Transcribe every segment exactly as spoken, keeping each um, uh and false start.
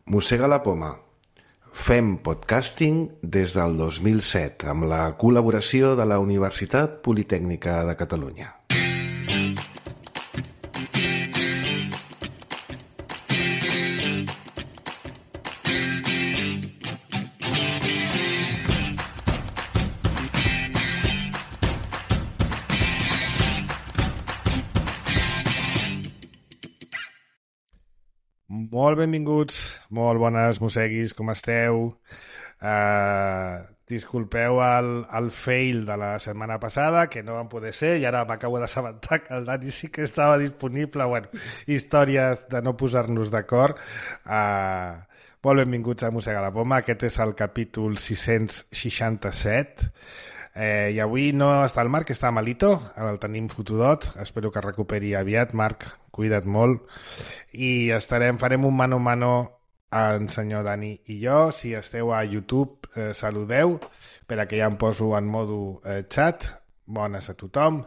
Mossega la poma. Fem podcasting des del dos mil set amb la col·laboració de la Universitat Politècnica de Catalunya. Molt benvinguts, molt bones mosseguis, com esteu? Uh, disculpeu el, el fail de la setmana passada, que no van poder ser, i ara m'acabo d'assabentar que el Dani sí que estava disponible. Bueno, històries de no posar-nos d'acord. Uh, molt benvinguts a Mossega la Poma, aquest és el capítol sis-cents seixanta-set. Eh, I avui no està el Marc, està malito, el tenim fotudot, espero que recuperi aviat. Marc, cuida't molt. I estarem, farem un mano a mano en senyor Dani i jo. Si esteu a YouTube, eh, saludeu, per a que ja em poso en modo eh, chat. Bones a tothom.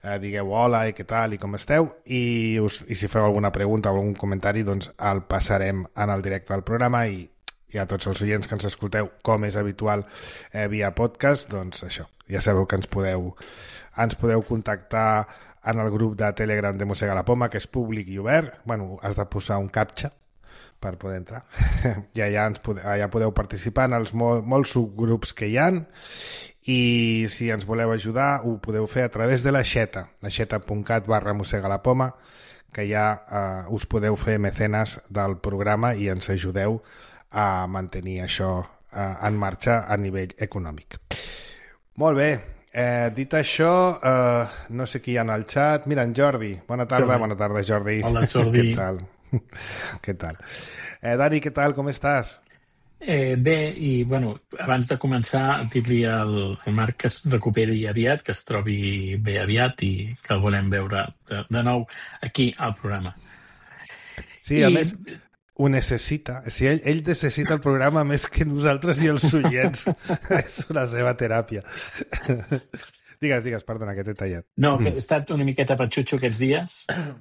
Eh, digueu hola i què tal i com esteu. I, us, i si feu alguna pregunta o algun comentari, doncs el passarem en el directe del programa. I i a tots els oients que ens escolteu, com és habitual, eh, via podcast, doncs això, ja sabeu que ens podeu, ens podeu contactar en el grup de Telegram de Mossega la Poma, que és públic i obert. Bueno, has de posar un captcha per poder entrar. I allà, ens pode, allà podeu participar en els mol, molts subgrups que hi ha, i si ens voleu ajudar ho podeu fer a través de la xeta, la xeta.cat barra Mossega la Poma, que ja eh, us podeu fer mecenes del programa i ens ajudeu a mantenir això eh, en marxa a nivell econòmic. Molt bé, eh, dit això, eh, no sé qui hi ha en el xat. Mira, en Jordi. Bona tarda, bona tarda, Jordi. Hola, Jordi. Què tal? Què tal? Eh, Dani, què tal? Com estàs? Eh, bé, i bueno, abans de començar, dir-li al, al Marc que es recuperi aviat, que es trobi bé aviat i que el volem veure de, de nou aquí al programa. Sí, a I... més... ho necessita. Si ell, ell necessita el programa més que nosaltres i els oients. És la seva teràpia. Digues, digues, perdona, que t'he tallat. No, que he estat una miqueta patxutxo aquests dies.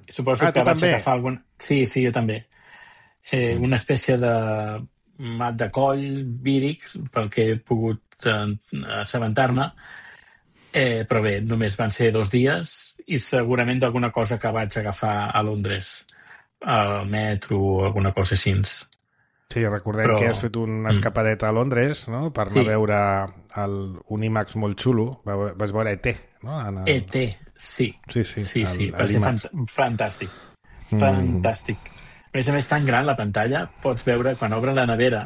Suposo ah, que vaig també? agafar algun... Sí, sí, jo també. Eh, una espècie de mat de coll víric, pel que he pogut eh, assabentar-ne. Eh, però bé, només van ser dos dies i segurament d'alguna cosa que vaig agafar a Londres, al metro o alguna cosa així. Sí, recordem Però... que has fet una escapadeta a Londres, no?, per anar sí. a veure el, un IMAX molt xulo. Vas veure E T, no? En el... E T, sí. Sí, sí, sí, el, sí. Va ser fant fantàstic. Mm. Fantàstic. A més a més, tan gran la pantalla, pots veure, quan obren la nevera,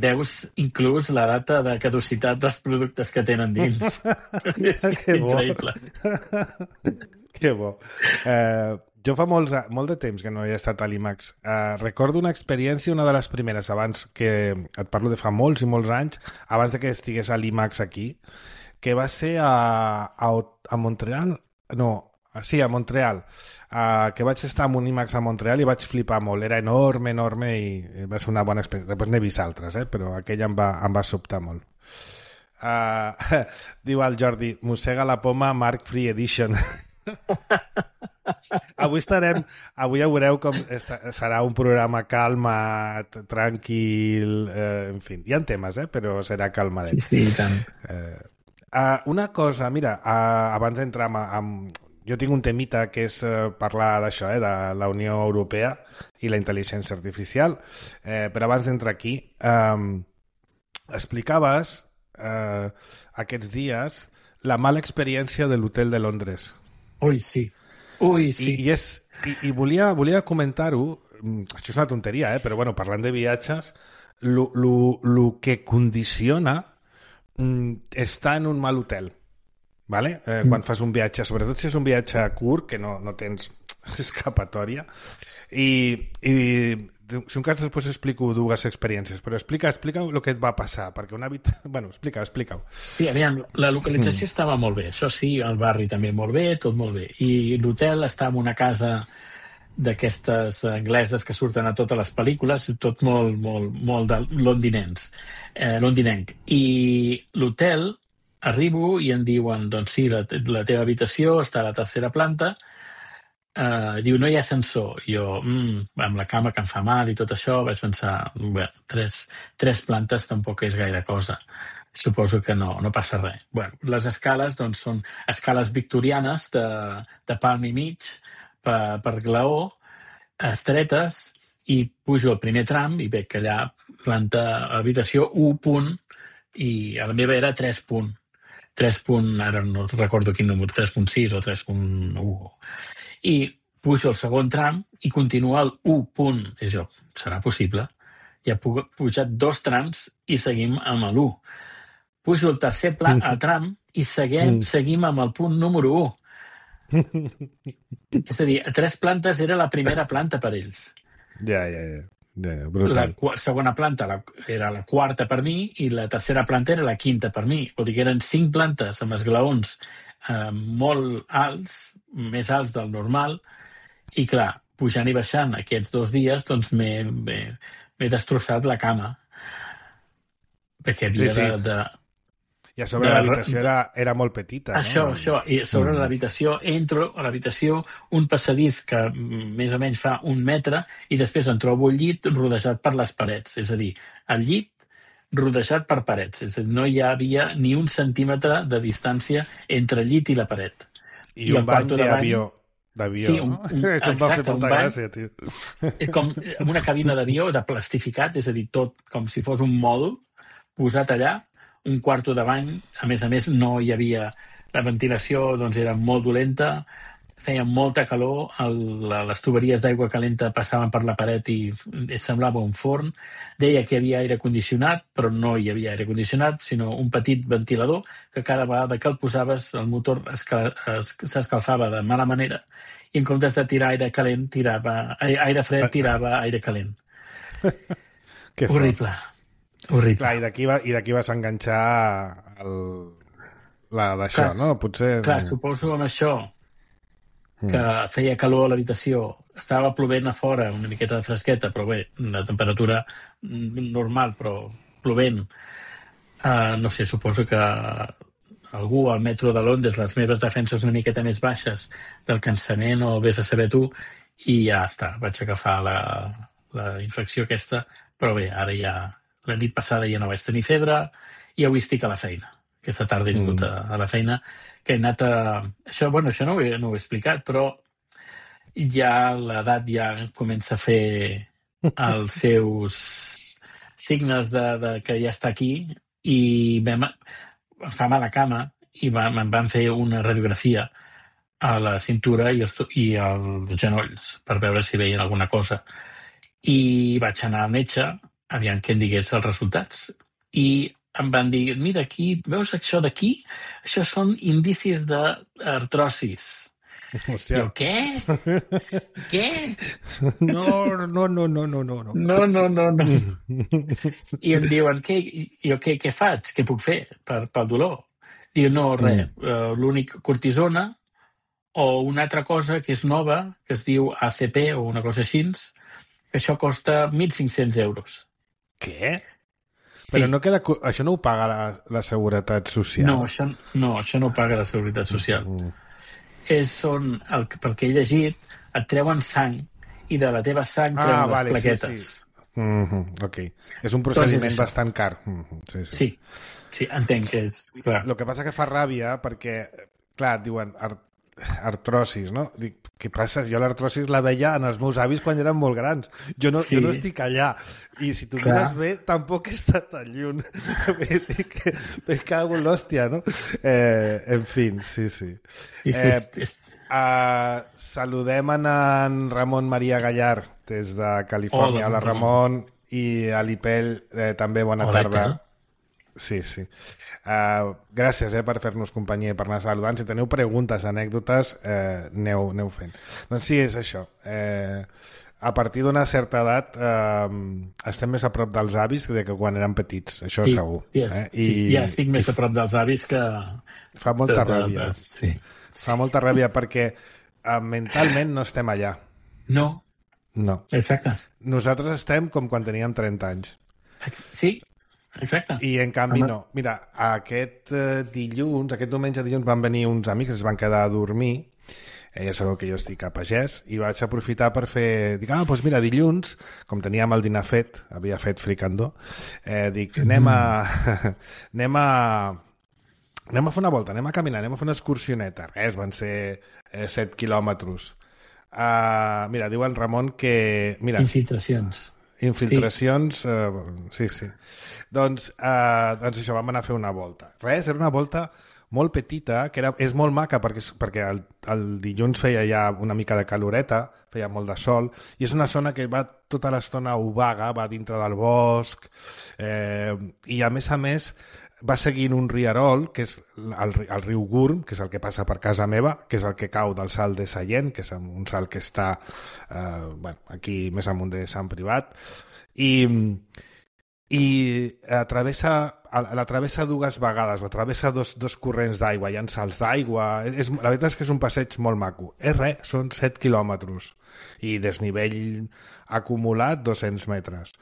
veus inclús la data de caducitat dels productes que tenen dins. és, és increïble. Que bo. Eh... Jo fa molts, molt de temps que no he estat a l'IMAX. Uh, recordo una experiència, una de les primeres, abans que... Et parlo de fa molts i molts anys, abans de que estigués a l'IMAX aquí, que va ser a, a, a Montreal? No, sí, a Montreal. Uh, que vaig estar en un IMAX a Montreal i vaig flipar molt. Era enorme, enorme i va ser una bona experiència. Després n'he vist altres, eh? Però aquella em va, em va sobtar molt. Uh, diu el Jordi, Mossega la Poma, Marc Free Edition. Avui estarem, avui ja veureu com serà un programa calmat, tranquil, eh, en fi, hi ha temes, eh, però serà calmadet. Sí, sí, i tant. Eh, uh, una cosa, mira, uh, abans d'entrar amb, amb... Jo tinc un temita que és uh, parlar d'això, eh, de la Unió Europea i la intel·ligència artificial, eh, però abans d'entrar aquí, um, explicaves uh, aquests dies la mala experiència de l'hotel de Londres. Ui, sí. Ui, sí. I, i, és, i, i volia, volia comentar-ho, això és una tonteria, eh? Però bueno, parlant de viatges, el que condiciona mm, estar en un mal hotel, ¿vale? Eh, mm. Quan fas un viatge, sobretot si és un viatge curt, que no, no tens escapatòria, i, i si un cas després explico dues experiències, però explica, explica el que et va passar, perquè una habita... Bueno, explica, explica-ho. Sí, aviam, la localització mm. estava molt bé, això sí, el barri també molt bé, tot molt bé, i l'hotel està en una casa d'aquestes angleses que surten a totes les pel·lícules, tot molt, molt, molt de londinens, eh, londinenc, i l'hotel arribo i em diuen, doncs sí, la, la teva habitació està a la tercera planta, Uh, diu, no hi ha ascensor. Jo, mm, amb la cama que em fa mal i tot això, vaig pensar, bé, tres, tres plantes tampoc és gaire cosa. Suposo que no, no passa res. Bueno, les escales doncs, són escales victorianes de, de palm i mig per, per glaó, estretes, i pujo al primer tram i veig que allà planta habitació u punt i a la meva era tres punt. tres punt, ara no recordo quin número, tres punt sis o tres punt u. I pujo al segon tram i continua el u punt. I jo, serà possible? Ja he pujat dos trams i seguim amb l'u. Pujo al tercer pla, al tram i seguim, seguim amb el punt número u. És a dir, a tres plantes era la primera planta per ells. Ja, ja, ja. ja la segona planta la, era la quarta per mi i la tercera planta era la quinta per mi. Vol dir que eren cinc plantes amb esglaons eh, molt alts, més alts del normal, i clar, pujant i baixant aquests dos dies, doncs m'he destrossat la cama. Perquè havia sí, sí. de... de I a sobre l'habitació era, era molt petita, això, no? Això, i sobre mm. l'habitació, entro a l'habitació, un passadís que més o menys fa un metre, i després em trobo el llit rodejat per les parets. És a dir, el llit rodejat per parets. És a dir, no hi havia ni un centímetre de distància entre el llit i la paret. I, I un bany d'avió. D'avió, sí, un, un, no? Això em va fer molta bany, gràcia, tio. Com una cabina d'avió de plastificat, és a dir, tot com si fos un mòdul posat allà, un quarto de bany, a més a més no hi havia, la ventilació doncs era molt dolenta, feia molta calor, el, les tuberies d'aigua calenta passaven per la paret i semblava un forn, deia que hi havia aire condicionat, però no hi havia aire condicionat, sinó un petit ventilador que cada vegada que el posaves el motor s'escalfava de mala manera i en comptes de tirar aire calent, tirava, aire fred tirava aire calent. Horrible. Horrible. Clar, i d'aquí va, i d'aquí vas enganxar el, la d'això, no? Potser... Clar, suposo amb això que mm. feia calor a l'habitació, estava plovent a fora, una miqueta de fresqueta, però bé, la temperatura normal, però plovent. Uh, no sé, suposo que algú al metro de Londres, les meves defenses una miqueta més baixes del cansament o vés a saber tu, i ja està, vaig agafar la, la infecció aquesta, però bé, ara ja... La nit passada ja no vaig tenir febre i avui estic a la feina. Aquesta tarda he vingut mm. a, a la feina, que he anat a... Això, bueno, això no ho, he, no ho he explicat, però ja l'edat ja comença a fer els seus signes de, de que ja està aquí i vam, em fa mal a la cama i vam, em van fer una radiografia a la cintura i els, i els genolls per veure si veien alguna cosa. I vaig anar al metge aviam que em digués els resultats. I em van dir, mira, aquí, veus això d'aquí? Això són indicis d'artrosis. Hòstia. Jo, què? Què? No, no, no, no, no, no. No, no, no, no. I em diuen, què, jo, què, què faig? Què puc fer per, pel dolor? Diu, no, res, mm. uh, l'únic cortisona o una altra cosa que és nova, que es diu A C P o una cosa així, que això costa mil cinc-cents euros. Què? Sí. Però no queda... Això no ho paga la, la Seguretat Social? No, això no, això no ho paga la Seguretat Social. Mm. És on, el, pel que he llegit, et treuen sang i de la teva sang treuen ah, les vale, plaquetes. Sí, sí. Mm-hmm, ok. És un procediment doncs és bastant car. Mm-hmm, sí, sí. sí, sí, entenc que és... Clar. El que passa que fa ràbia perquè, clar, et diuen art artrosis, no? Dic, què passa? Jo l'artrosis la veia en els meus avis quan eren molt grans. Jo no, sí. jo no estic allà. I si tu Clar. mires bé, tampoc està tan lluny. Me cago en l'hòstia, no? Eh, en fi, sí, sí. sí, sí eh, és... uh, saludem en, en Ramon Maria Gallar des de Califòrnia. Hola, Hola Ramon. I a l'Ipel, eh, també bona Hola, tarda. Sí, sí. Uh, gràcies eh, per fer-nos companyia i per anar saludant. Si teniu preguntes, anècdotes, eh, aneu, aneu fent. Doncs sí, és això. Eh, a partir d'una certa edat eh, estem més a prop dels avis que de que quan eren petits, això sí, segur. Yes, eh? I, sí, ja estic més a prop dels avis que... Fa molta ràbia. Sí. Fa molta ràbia perquè eh, mentalment no estem allà. No. No. Exacte. Nosaltres estem com quan teníem trenta anys. Sí. Exacte. I en canvi no. Mira, aquest eh, dilluns, aquest diumenge dilluns van venir uns amics, es van quedar a dormir Eh, ja sabeu que jo estic a pagès i vaig aprofitar per fer... Dic, ah, doncs mira, dilluns, com teníem el dinar fet, havia fet fricandó, eh, dic, anem a... anem a... anem a fer una volta, anem a caminar, anem a fer una excursioneta. Res, van ser eh, set quilòmetres. Uh, mira, diu en Ramon que... Mira, infiltracions. Infiltracions, sí, uh, sí. sí. Doncs, uh, doncs això, vam anar a fer una volta. Res, era una volta molt petita, que era, és molt maca perquè, perquè el, el dilluns feia ja una mica de caloreta, feia molt de sol, i és una zona que va tota l'estona obaga, va dintre del bosc, eh, i a més a més va seguint un rierol, que és el, el riu Gurm, que és el que passa per casa meva, que és el que cau del salt de Sallent, que és un salt que està eh, bueno, aquí més amunt de Sant Privat, i... i atravessa, la travessa dues vegades, o travessa dos, dos corrents d'aigua, hi ha salts d'aigua, és, la veritat és que és un passeig molt maco. És res, són set quilòmetres i desnivell acumulat dos-cents metres.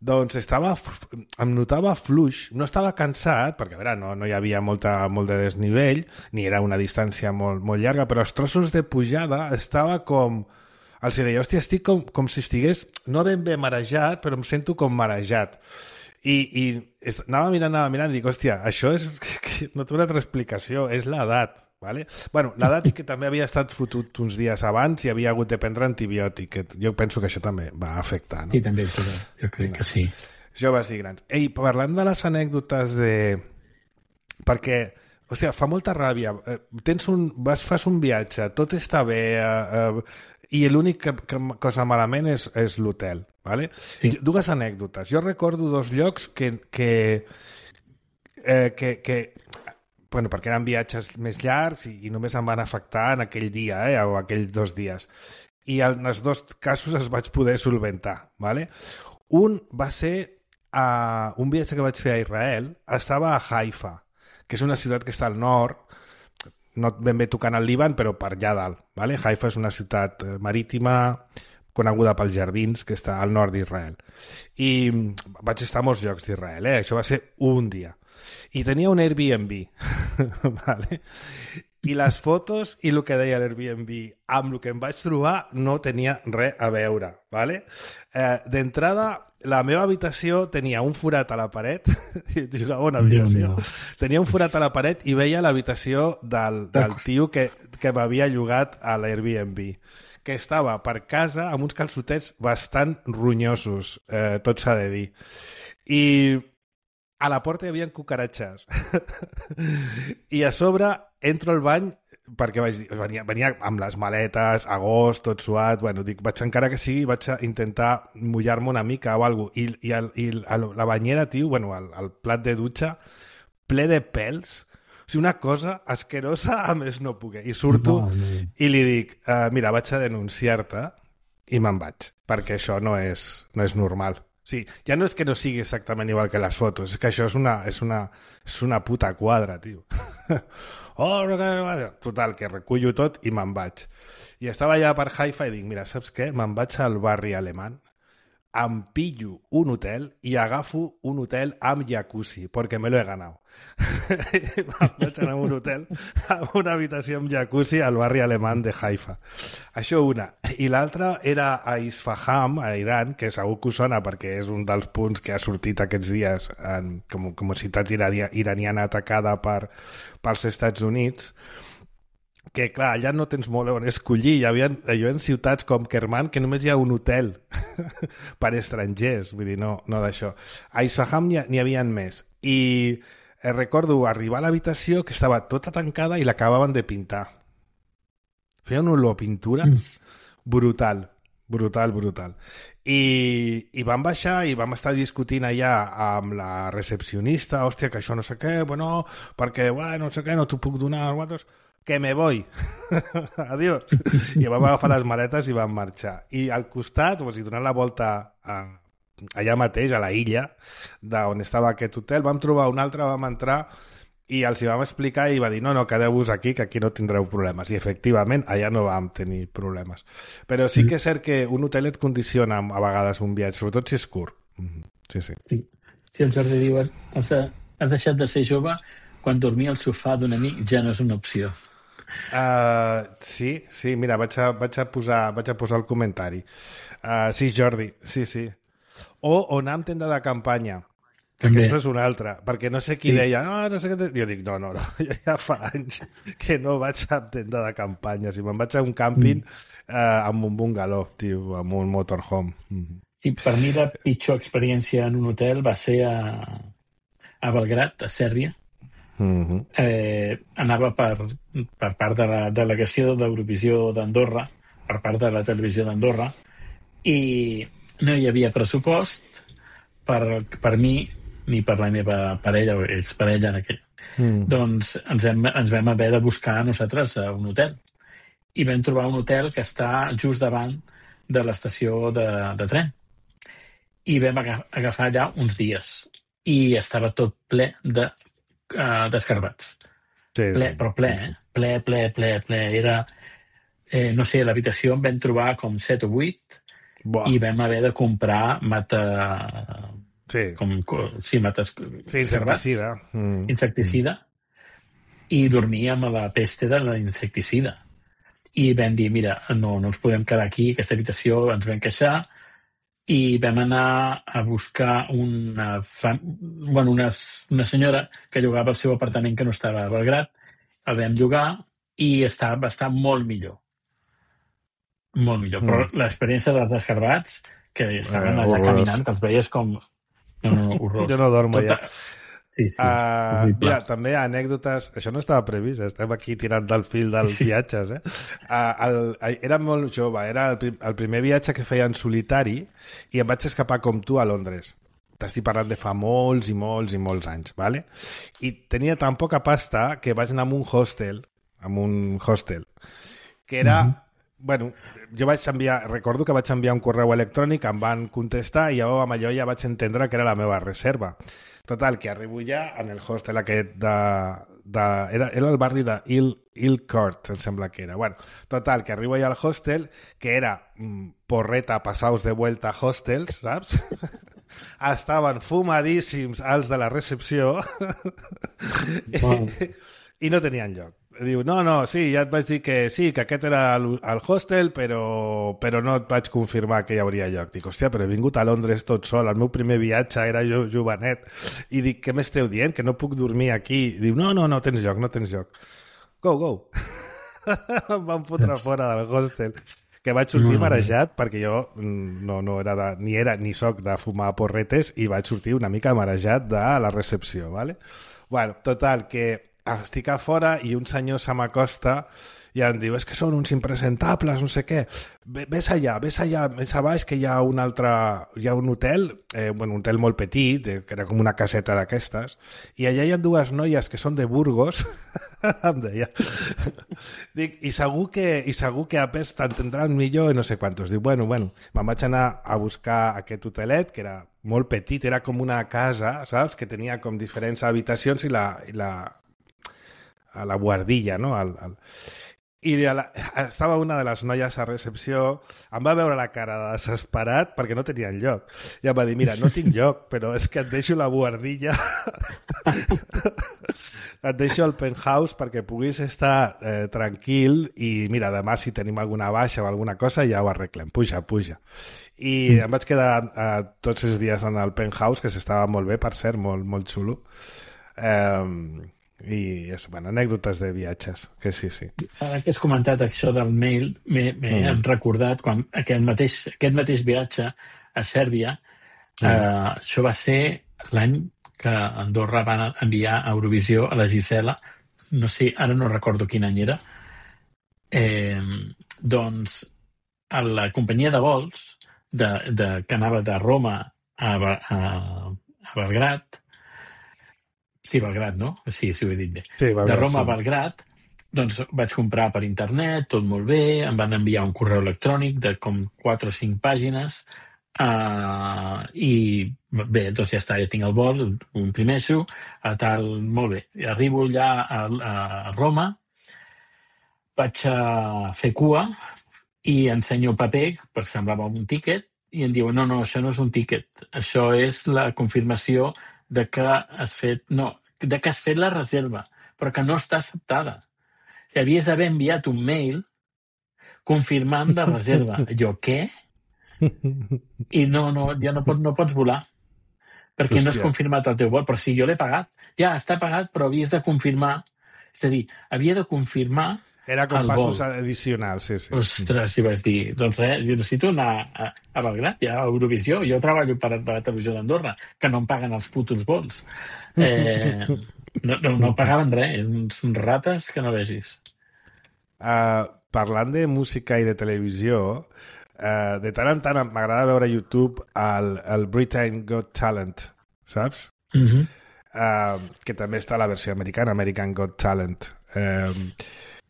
Doncs estava, em notava fluix, no estava cansat, perquè a veure, no, no hi havia molta, molt de desnivell, ni era una distància molt, molt llarga, però els trossos de pujada estava com... Els deia, hòstia, estic com, com si estigués, no ben bé marejat, però em sento com marejat. I, i anava mirant, anava mirant, i dic, hòstia, això és... no té una altra explicació, és l'edat, ¿vale? Bueno, l'edat i que també havia estat fotut uns dies abans i havia hagut de prendre antibiòtic, que jo penso que això també va afectar, no? Sí, també, jo crec que sí. Joves i grans. Ei, parlant de les anècdotes de... Perquè... Hòstia, fa molta ràbia. Tens un... Vas, fas un viatge, tot està bé, eh, eh, i l'única cosa malament és, és l'hotel, ¿vale? Sí. Dues anècdotes. Jo recordo dos llocs que... que, eh, que, que bueno, perquè eren viatges més llargs i, i només em van afectar en aquell dia, eh, o aquells dos dies. I en els dos casos els vaig poder solventar, ¿vale? Un va ser uh, un viatge que vaig fer a Israel, estava a Haifa, que és una ciutat que està al nord, no ben bé tocant el Líban, però per allà dalt. ¿Vale? Haifa és una ciutat marítima coneguda pels jardins, que està al nord d'Israel. I vaig estar a molts llocs d'Israel, eh? Això va ser un dia. I tenia un Airbnb, ¿vale? I les fotos i el que deia l'Airbnb amb el que em vaig trobar no tenia res a veure, ¿vale? Eh, d'entrada, la meva habitació tenia un forat a la paret, i jugava una habitació, tenia un forat a la paret i veia l'habitació del, del tio que, que m'havia llogat a l'Airbnb, que estava per casa amb uns calçotets bastant ronyosos, eh, tot s'ha de dir. I a la porta hi havia cucaratxes. I a sobre entro al bany perquè vaig dir, venia, venia amb les maletes, agost, tot suat, bueno, dic, vaig encara que sigui, vaig a intentar mullar-me una mica o alguna cosa. I, i, el, i el, la banyera, tio, bueno, el, el plat de dutxa, ple de pèls, o sigui, una cosa asquerosa a més no poder. I surto no, no. i li dic, uh, mira, vaig a denunciar-te i me'n vaig, perquè això no és, no és normal. Sí, ja no és que no sigui exactament igual que les fotos, és que això és una, és una, és una puta quadra, tio. Oh, total, que recullo tot i me'n vaig. I estava allà per Haifa i dic, mira, saps què? Me'n vaig al barri alemany, em pillo un hotel i agafo un hotel amb jacuzzi, perquè me lo he ganado. Me'n vaig anar a un hotel amb una habitació amb jacuzzi al barri alemany de Haifa. Això una. I l'altra era a Isfahan, a Iran, que segur que us sona perquè és un dels punts que ha sortit aquests dies en, com, com a ciutat iraniana atacada per, pels Estats Units, que clar, allà no tens molt on escollir. Hi havia, hi havia ciutats com Kerman que només hi ha un hotel per estrangers, vull dir, no, no d'això. A Isfahan n'hi havia més. I eh, recordo arribar a l'habitació que estava tota tancada i l'acabaven de pintar. Feia una olor a pintura brutal, brutal, brutal. I, i vam baixar i vam estar discutint allà amb la recepcionista, hòstia, que això no sé què, bueno, perquè, bueno, no sé què, no t'ho puc donar als guatos, que me voy. Adiós. I vam agafar les maletes i vam marxar. I al costat, o sigui, donant la volta a, allà mateix, a la illa, d'on estava aquest hotel, vam trobar un altre, vam entrar i els hi vam explicar i va dir, no, no, quedeu-vos aquí, que aquí no tindreu problemes. I efectivament, allà no vam tenir problemes. Però sí que és cert que un hotel et condiciona a vegades un viatge, sobretot si és curt. Sí, sí. Sí, sí, el Jordi diu, has, has deixat de ser jove quan dormir al sofà d'un amic ja no és una opció. Uh, sí, sí, mira, vaig a, vaig a, posar, vaig a posar el comentari. Uh, sí, Jordi, sí, sí. O, o anar amb tenda de campanya, que També. aquesta és una altra, perquè no sé qui Sí. deia, no, no sé què... Jo dic, no, no, no, jo ja fa anys que no vaig a tenda de campanya, si me'n vaig a un càmping mm. uh, amb un bungalow, tio, amb un motorhome. Mm. I per mi la pitjor experiència en un hotel va ser a, a Belgrat, a Sèrbia. Mm-hmm. Eh, anava per, per part de la delegació d'Eurovisió d'Andorra, per part de la televisió d'Andorra, i no hi havia pressupost per, per mi ni per la meva parella o exparella en aquell. Mm. Doncs ens, hem, ens vam haver de buscar nosaltres a un hotel. I vam trobar un hotel que està just davant de l'estació de, de tren. I vam agafar allà uns dies. I estava tot ple de Uh, d'escarbats. Sí, ple, sí, però ple, sí. eh? Ple, ple, ple, ple. Era, eh, no sé, a l'habitació en vam trobar com set o vuit Buah. i vam haver de comprar mata... Sí, Com, sí, mates... sí, insecticida. Mm. Insecticida. I dormíem a la peste de l'insecticida. I vam dir, mira, no, no ens podem quedar aquí, aquesta habitació, ens vam queixar, i vam anar a buscar una, fam... bueno, una, una senyora que llogava el seu apartament que no estava a Belgrat, el vam llogar i està, va estar molt millor. Molt millor. Mm. Però l'experiència dels escarbats, que estaven Eh, allà horrorós. caminant, que els veies com... No, no, horrorós. Jo no dormo Tota... ja. Sí, sí. Uh, mira, també hi ha anècdotes... Això no estava previst, estem aquí tirant del fil dels sí. viatges. Eh? Uh, el, era molt jove, era el, prim, el primer viatge que feia en solitari i em vaig escapar com tu a Londres. T'estic parlant de fa molts i molts i molts anys, ¿vale? I tenia tan poca pasta que vaig anar a un hostel, a un hostel, que era... Uh-huh. Bueno, jo vaig enviar, recordo que vaig enviar un correu electrònic, em van contestar i jo amb allò ja vaig entendre que era la meva reserva. Total, que arribo ja en el hostel aquest de... de era, era el barri de Hill, Hill Court, em sembla que era. Bueno, total, que arribo ja al hostel, que era mm, porreta passaos de vuelta hostels, saps? Estaven fumadíssims els de la recepció wow. i no tenien lloc. Diu, no, no, sí, ja et vaig dir que sí, que aquest era el, el hostel, però, però no et vaig confirmar que hi hauria lloc. Dic, hòstia, però he vingut a Londres tot sol, el meu primer viatge era jo jovenet. I dic, què m'esteu dient? Que no puc dormir aquí? Diu, no, no, no tens lloc, no tens lloc. Go, go. Em van fotre fora del hostel. Que vaig sortir marejat, perquè jo no, no era de, ni era ni soc de fumar porretes i vaig sortir una mica marejat de la recepció, ¿vale? Bueno, total, que estic a fora i un senyor se m'acosta i em diu, és que són uns impresentables, no sé què. Ves allà, ves allà, més a baix, que hi ha un altre... Hi ha un hotel, eh, bueno, un hotel molt petit, eh, que era com una caseta d'aquestes, i allà hi ha dues noies que són de Burgos, em deia. Dic, i segur que, i segur que a pes t'entendran millor i no sé quantos. Dic, bueno, bueno, me'n vaig anar a buscar aquest hotelet, que era molt petit, era com una casa, saps? Que tenia com diferents habitacions i la... I la a la guardilla, no? Al, al... I la... estava una de les noies a recepció, em va veure la cara de desesperat perquè no tenien lloc. I em va dir, mira, no tinc lloc, però és que et deixo la guardilla, et deixo el penthouse perquè puguis estar eh, tranquil i mira, demà si tenim alguna baixa o alguna cosa ja ho arreglem, puja, puja. I em vaig quedar eh, tots els dies en el penthouse, que s'estava molt bé, per cert, molt, molt xulo. Eh, i és, bueno, anècdotes de viatges, que sí, sí. Ara que has comentat això del mail, m'he mm. recordat quan aquest mateix, aquest mateix viatge a Sèrbia, mm. eh, això va ser l'any que Andorra va enviar a Eurovisió a la Gisela, no sé, ara no recordo quin any era, eh, doncs a la companyia de vols de, de, que anava de Roma a, a, a Belgrat. Sí, Belgrat, no? Sí, sí, ho he dit bé. Sí, Belgrat, de Roma sí. A Belgrat, doncs vaig comprar per internet, tot molt bé, em van enviar un correu electrònic de com quatre o cinc pàgines uh, i bé, doncs ja està, ja tinc el vol, ho imprimeixo, a tal, molt bé. I arribo allà a, a Roma, vaig a fer cua i ensenyo el paper, perquè semblava un tíquet, i em diuen, no, no, això no és un tíquet, això és la confirmació de que has fet, no, de que has fet la reserva, però que no està acceptada. havies d'haver enviat un mail confirmant la reserva. Jo, què? I no, no, ja no, pot, no pots volar, perquè Hòstia. no has confirmat el teu vol. Però sí, jo l'he pagat. Ja, està pagat, però havies de confirmar. És a dir, havia de confirmar Era com el passos vol. addicionals, sí, sí. Ostres, i vaig dir, doncs res, jo necessito anar a, a Belgrat, ja a Eurovisió. Jo treballo per, per la televisió d'Andorra, que no em paguen els putos vols. Eh, no, no, no pagaven res, uns rates que no vegis. Uh, parlant de música i de televisió, uh, de tant en tant m'agrada veure a YouTube el, el Britain Got Talent, saps? Mhm. Uh, que també està a la versió americana, American Got Talent. Uh,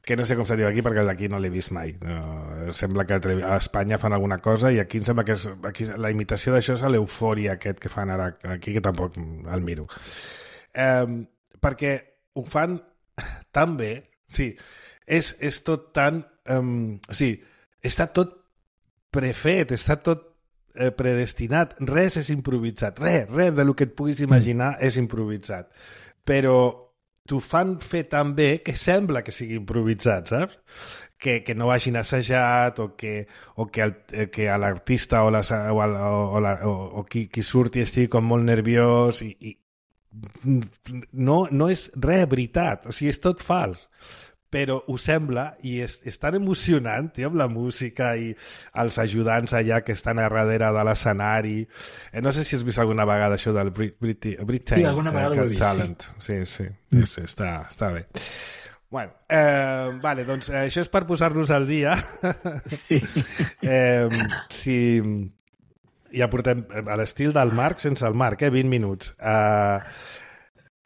que no sé com se diu aquí perquè d'aquí no l'he vist mai. No, sembla que a Espanya fan alguna cosa i aquí em sembla que és, aquí, la imitació d'això és l'eufòria aquest que fan ara aquí, que tampoc el miro. Um, perquè ho fan tan bé, sí, és, és tot tan... Um, sí, està tot prefet, està tot eh, predestinat, res és improvisat, res, res del que et puguis imaginar és improvisat. Però t'ho fan fer tan bé que sembla que sigui improvisat, saps? Que, que no hagin assajat o que, o que, el, que l'artista o, la, o, el, o, la, o, o qui, qui surti estigui com molt nerviós i, i no, no és res veritat, o sigui, és tot fals. Però ho sembla i és, és tan emocionant, tio, amb la música i els ajudants allà que estan a darrere de l'escenari. Eh, no sé si has vist alguna vegada això del Brit Brit Britain sí, alguna vegada eh, ho he vist, Talent. Sí, sí, sí, mm. sí està, està bé. Bueno, eh, vale, doncs eh, això és per posar-nos al dia. Sí. eh, si... Ja portem a l'estil del Marc sense el Marc, eh? vint minuts. Eh...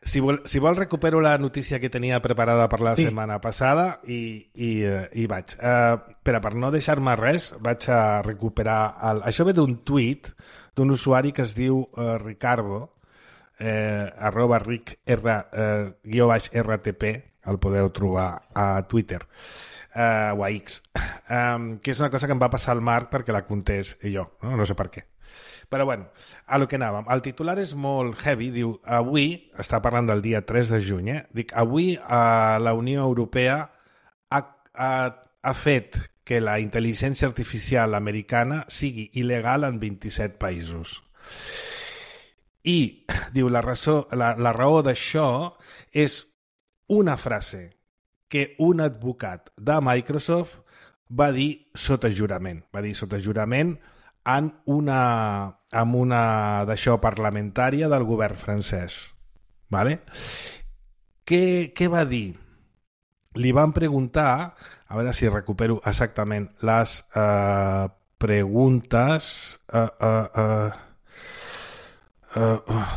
Si vol, si vol recupero la notícia que tenia preparada per la sí. setmana passada i, i, i vaig. Uh, però per no deixar-me res, vaig a recuperar... El... Això ve d'un tuit d'un usuari que es diu uh, Ricardo, eh, arroba ric r, eh, guió baix rtp, el podeu trobar a Twitter eh, o a X, um, que és una cosa que em va passar al Marc perquè la contés i jo, no, no sé per què. Però bueno, a lo que anàvem. El titular és molt heavy, diu, avui, està parlant del dia tres de juny, eh? Dic, avui eh, la Unió Europea ha, ha, ha fet que la intel·ligència artificial americana sigui il·legal en vint-i-set països. I, diu, la, raó, la, la raó d'això és una frase que un advocat de Microsoft va dir sota jurament. Va dir sota jurament en una, en una d'això parlamentària del govern francès. Vale? Què, què va dir? Li van preguntar, a veure si recupero exactament les uh, preguntes... Uh, uh, uh, uh, uh.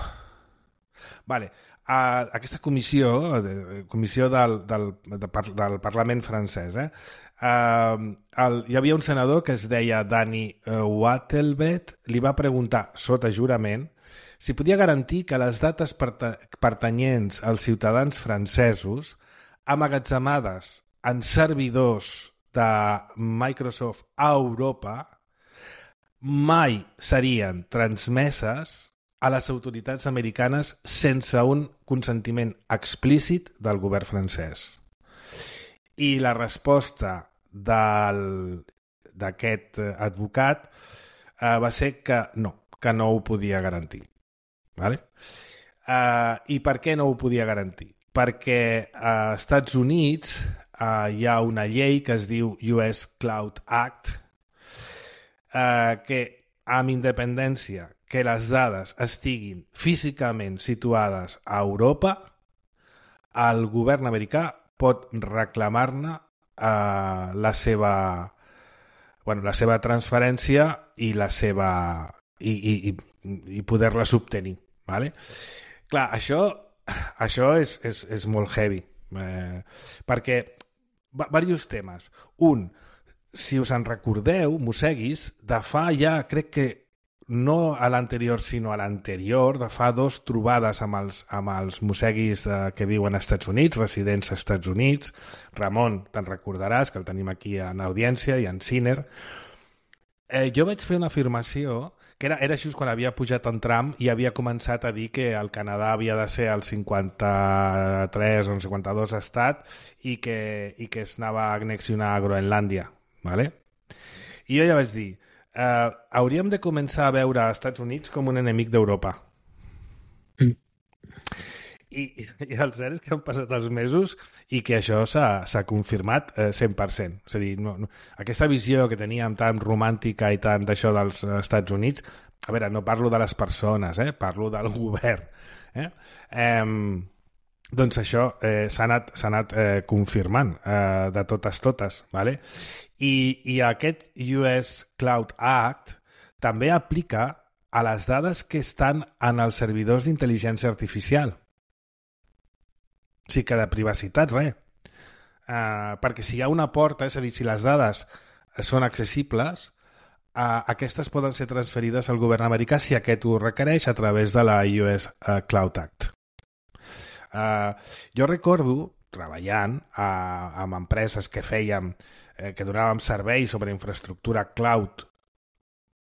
Vale. Uh, aquesta comissió, comissió del, del, del, del Parlament francès, eh? Uh, el, hi havia un senador que es deia Dani uh, Wattelbet, li va preguntar sota jurament si podia garantir que les dates pertanyents als ciutadans francesos amagatzemades en servidors de Microsoft a Europa mai serien transmeses a les autoritats americanes sense un consentiment explícit del govern francès. I la resposta d'aquest advocat eh, va ser que no, que no ho podia garantir. Vale? Eh, I per què no ho podia garantir? Perquè als Estats Units eh, hi ha una llei que es diu U S Cloud Act eh, que, amb independència que les dades estiguin físicament situades a Europa, el govern americà pot reclamar-ne Uh, la seva bueno, la seva transferència i la seva i, i, i poder-les obtenir, vale? Clar, això això és, és, és molt heavy eh, perquè diversos temes. Un, si us en recordeu, mosseguis, de fa ja, crec que no a l'anterior, sinó a l'anterior, de fa dos trobades amb els, amb els mosseguis de, que viuen als Estats Units, residents als Estats Units. Ramon, te'n recordaràs, que el tenim aquí en audiència, i en Ciner. Eh, jo vaig fer una afirmació que era, era just quan havia pujat en Trump i havia començat a dir que el Canadà havia de ser el cinquanta-tres o el cinquanta-dos estat i que, i que es anava a annexionar a Groenlàndia. ¿Vale? I jo ja vaig dir, eh, hauríem de començar a veure als Estats Units com un enemic d'Europa. Mm. I, i el cert és que han passat els mesos i que això s'ha confirmat eh, cent per cent. És a dir, no, no, aquesta visió que teníem tan romàntica i tant d'això dels Estats Units, a veure, no parlo de les persones, eh, parlo del govern. Eh? Eh, doncs això eh, s'ha anat, s'ha anat eh, confirmant eh, de totes totes. ¿Vale? I, I aquest U S Cloud Act també aplica a les dades que estan en els servidors d'intel·ligència artificial. O sigui que de privacitat, res. Uh, perquè si hi ha una porta, és a dir, si les dades són accessibles, uh, aquestes poden ser transferides al govern americà si aquest ho requereix a través de la U S uh, Cloud Act. Uh, jo recordo, treballant uh, amb empreses que fèiem, eh, que donàvem serveis sobre infraestructura cloud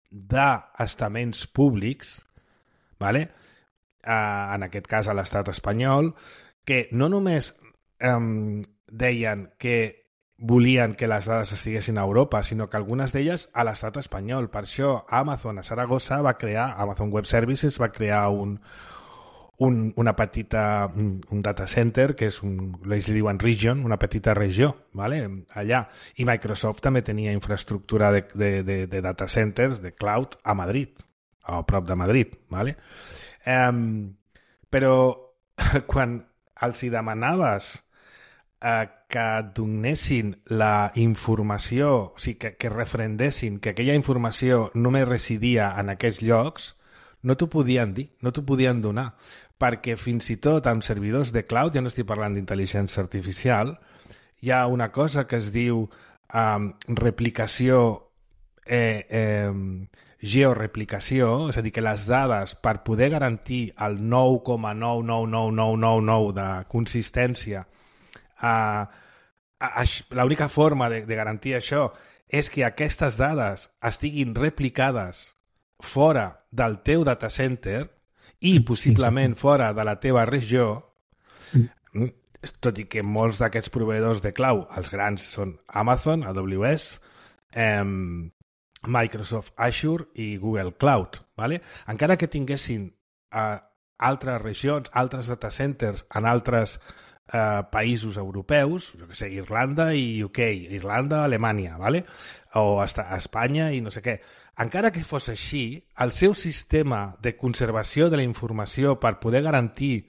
d'estaments públics, ¿vale? uh, en aquest cas a l'estat espanyol, que no només um, deien que volien que les dades estiguessin a Europa, sinó que algunes d'elles a l'estat espanyol. Per això Amazon a Saragossa va crear, Amazon Web Services va crear un, un, una petita, un, un data center, que és un, ells li diuen region, una petita regió, ¿vale? Allà. I Microsoft també tenia infraestructura de, de, de, de data centers, de cloud, a Madrid, a prop de Madrid, ¿vale? Um, però quan els hi demanaves eh, que et donessin la informació, o sigui, que, que refrendessin que aquella informació només residia en aquests llocs, no t'ho podien dir, no t'ho podien donar, perquè fins i tot amb servidors de cloud, ja no estic parlant d'intel·ligència artificial, hi ha una cosa que es diu eh, replicació eh, eh, georeplicació, és a dir, que les dades, per poder garantir el nou coma nou nou nou nou nou nou de consistència, eh, l'única forma de, de garantir això és que aquestes dades estiguin replicades fora del teu data center i possiblement fora de la teva regió, tot i que molts d'aquests proveïdors de cloud, els grans són Amazon, A W S, eh, Microsoft Azure i Google Cloud, ¿vale? Encara que tinguessin uh, altres regions, altres data centers en altres uh, països europeus, jo que sé, Irlanda i U K, Irlanda, Alemanya, ¿vale? O hasta Espanya i no sé què. Encara que fos així, el seu sistema de conservació de la informació per poder garantir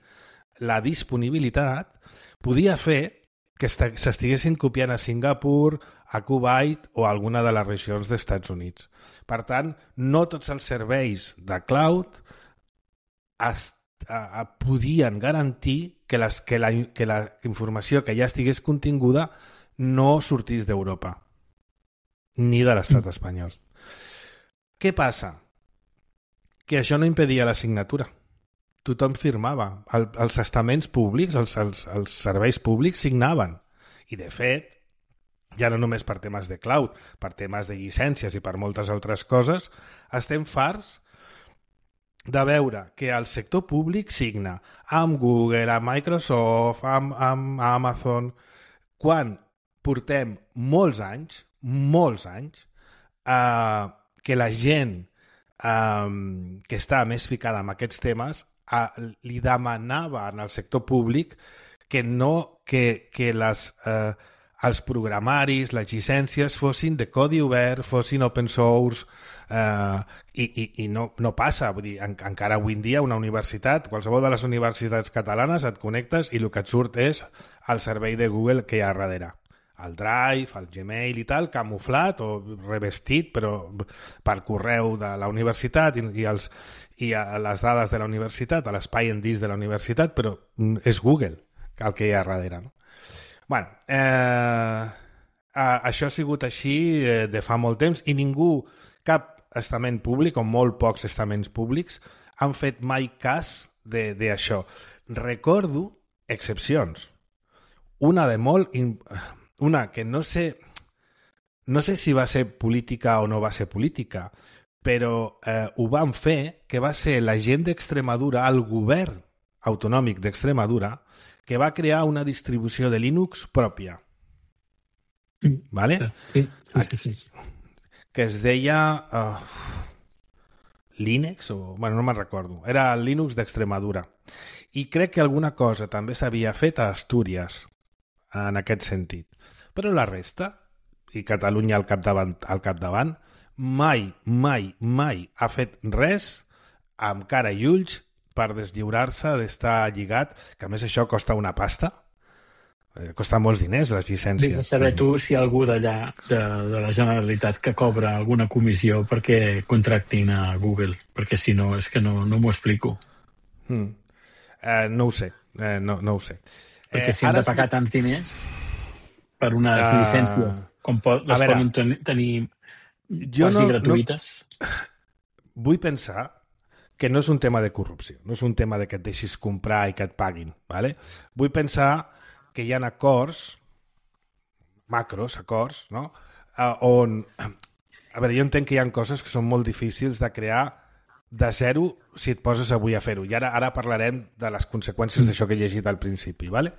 la disponibilitat podia fer que s'estiguessin copiant a Singapur, a Kuwait o a alguna de les regions dels Estats Units. Per tant, no tots els serveis de cloud es, a, a, podien garantir que, les, que, la, que la informació que ja estigués continguda no sortís d'Europa, ni de l'estat espanyol. Què passa? Que això no impedia la signatura. Tothom firmava. El, els estaments públics, els, els, els serveis públics signaven. I, de fet, ja no només per temes de cloud, per temes de llicències i per moltes altres coses, estem farts de veure que el sector públic signa amb Google, amb Microsoft, amb, amb Amazon, quan portem molts anys, molts anys, eh, que la gent eh, que està més ficada en aquests temes eh, li demanava en el sector públic que no, que, que les... Eh, els programaris, les llicències fossin de codi obert, fossin open source, eh, i, i, i no, no passa. Vull dir, en, encara avui en dia una universitat, qualsevol de les universitats catalanes, et connectes i el que et surt és el servei de Google que hi ha darrere. El Drive, el Gmail i tal, camuflat o revestit, però per correu de la universitat i, i, els, i a les dades de la universitat, a l'espai en disc de la universitat, però és Google el que hi ha darrere, no? Bueno, eh, això ha sigut així eh, de fa molt temps i ningú, cap estament públic o molt pocs estaments públics han fet mai cas d'això. Recordo excepcions. Una de molt... Una que no sé... no sé si va ser política o no va ser política, però eh, ho van fer que va ser la gent d'Extremadura, el govern autonòmic d'Extremadura, que va crear una distribució de Linux pròpia. Mm. ¿Vale? Sí, sí, sí, sí. Que es deia uh, Linux, o bueno, no me'n recordo. Era el Linux d'Extremadura. I crec que alguna cosa també s'havia fet a Astúries en aquest sentit. Però la resta, i Catalunya al capdavant, al capdavant mai, mai, mai ha fet res amb cara i ulls per deslliurar-se d'estar lligat, que a més això costa una pasta. Eh, costa molts diners, les llicències. Vés a saber tu si hi ha algú d'allà, de, de la Generalitat, que cobra alguna comissió perquè contractin a Google, perquè si no, és que no, no m'ho explico. Mm. Eh, no ho sé, eh, no, no ho sé. Perquè Eh, si han ara de pagar es- tants diners per unes Ah, llicències com pot, a les veure, poden ten tenir jo quasi no- no- gratuïtes. Vull pensar que no és un tema de corrupció, no és un tema de que et deixis comprar i que et paguin. ¿Vale? Vull pensar que hi ha acords, macros, acords, no? Uh, on... A veure, jo entenc que hi ha coses que són molt difícils de crear de zero si et poses avui a fer-ho. I ara ara parlarem de les conseqüències d'això que he llegit al principi, ¿vale?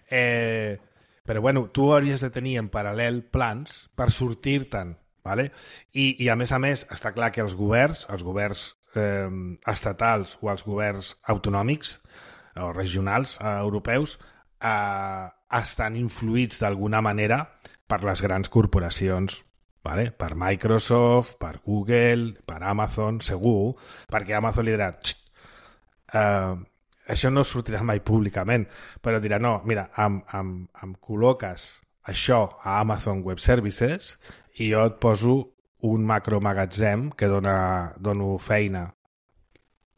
eh, però bueno, tu hauries de tenir en paral·lel plans per sortir-te'n, ¿vale? I, i a més a més està clar que els governs, els governs eh, estatals o els governs autonòmics o regionals eh, europeus eh, estan influïts d'alguna manera per les grans corporacions, ¿vale? Per Microsoft, per Google, per Amazon, segur, perquè Amazon li dirà uh, això no sortirà mai públicament, però dirà, no, mira, em, em, em col·loques això a Amazon Web Services i jo et poso un macromagatzem que dona, dono feina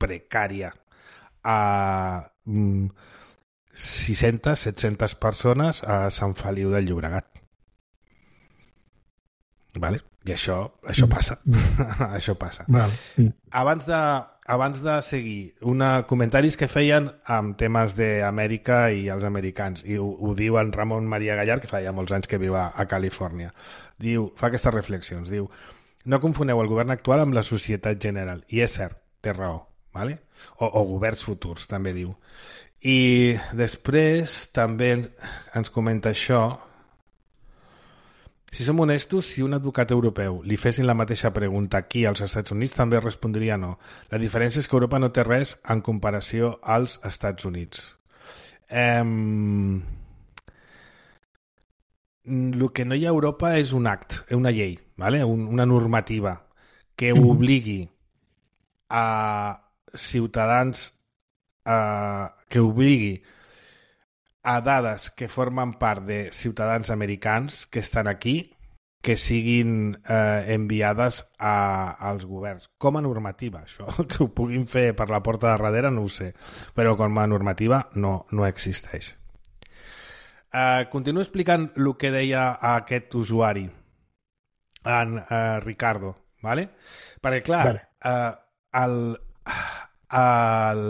precària a mm, sis-centes, set-centes persones a Sant Feliu del Llobregat. Vale? I això, això passa. això passa. Vale. Mm. Abans de, abans de seguir, una, comentaris que feien amb temes d'Amèrica i els americans, i ho, ho diu en Ramon Maria Gallar, que fa ja molts anys que viu a, a Califòrnia. Diu, fa aquestes reflexions, diu, no confoneu el govern actual amb la societat general. I és cert, té raó. Vale? O, o governs futurs, també diu. I després també ens comenta això. Si som honestos, si un advocat europeu li fessin la mateixa pregunta aquí als Estats Units, també respondria no. La diferència és que Europa no té res en comparació als Estats Units. Um, el que no hi ha a Europa és un act, una llei, ¿vale? un, una normativa que obligui a ciutadans a, que obligui a dades que formen part de ciutadans americans que estan aquí que siguin eh, enviades a, als governs. Com a normativa, això, que ho puguin fer per la porta de darrere no ho sé, però com a normativa no, no existeix. Eh, continuo explicant el que deia aquest usuari, en eh, Ricardo, ¿vale? Perquè clar, Vale. eh, el... el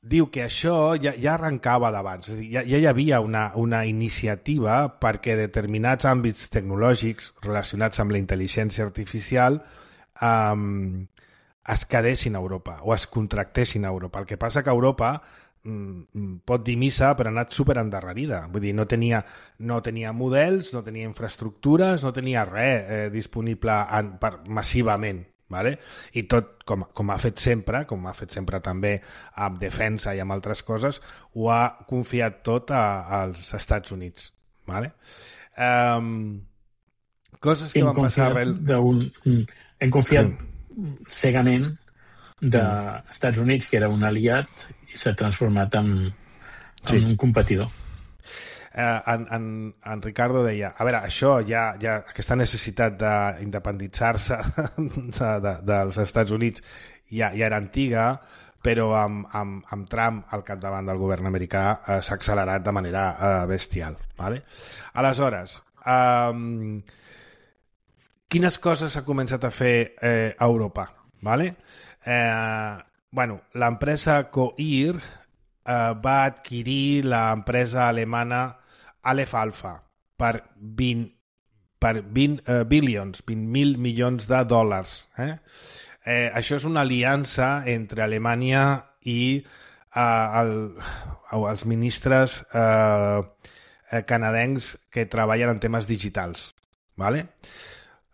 diu que això ja, ja arrencava d'abans, ja, ja hi havia una, una iniciativa perquè determinats àmbits tecnològics relacionats amb la intel·ligència artificial um, es quedessin a Europa o es contractessin a Europa. El que passa que Europa mm, pot dir missa però ha anat super endarrerida. Vull dir, no tenia, no tenia models, no tenia infraestructures, no tenia res eh, disponible en, per, massivament. Vale? I tot, com, com ha fet sempre, com ha fet sempre també amb defensa i amb altres coses, ho ha confiat tot a, als Estats Units. Vale? Um, coses que Hem van passar arrel... d'un- Hem confiat cegament dels Estats Units, que era un aliat, i s'ha transformat en, en Sí. un competidor. Eh, en, en, en Ricardo deia, a veure, això ja, ja aquesta necessitat d'independitzar-se de, de, dels Estats Units ja, ja era antiga, però amb, amb, amb Trump al capdavant del govern americà eh, s'ha accelerat de manera eh, bestial. Vale? Aleshores, eh, quines coses s'ha començat a fer eh, a Europa? Vale? Eh, bueno, l'empresa Coir eh, va adquirir l'empresa alemana Aleph Alpha per vint, per vint uh, billions, vint mil milions de dòlars. Eh? Eh, això és una aliança entre Alemanya i eh, el, els ministres eh, canadencs que treballen en temes digitals. Vale?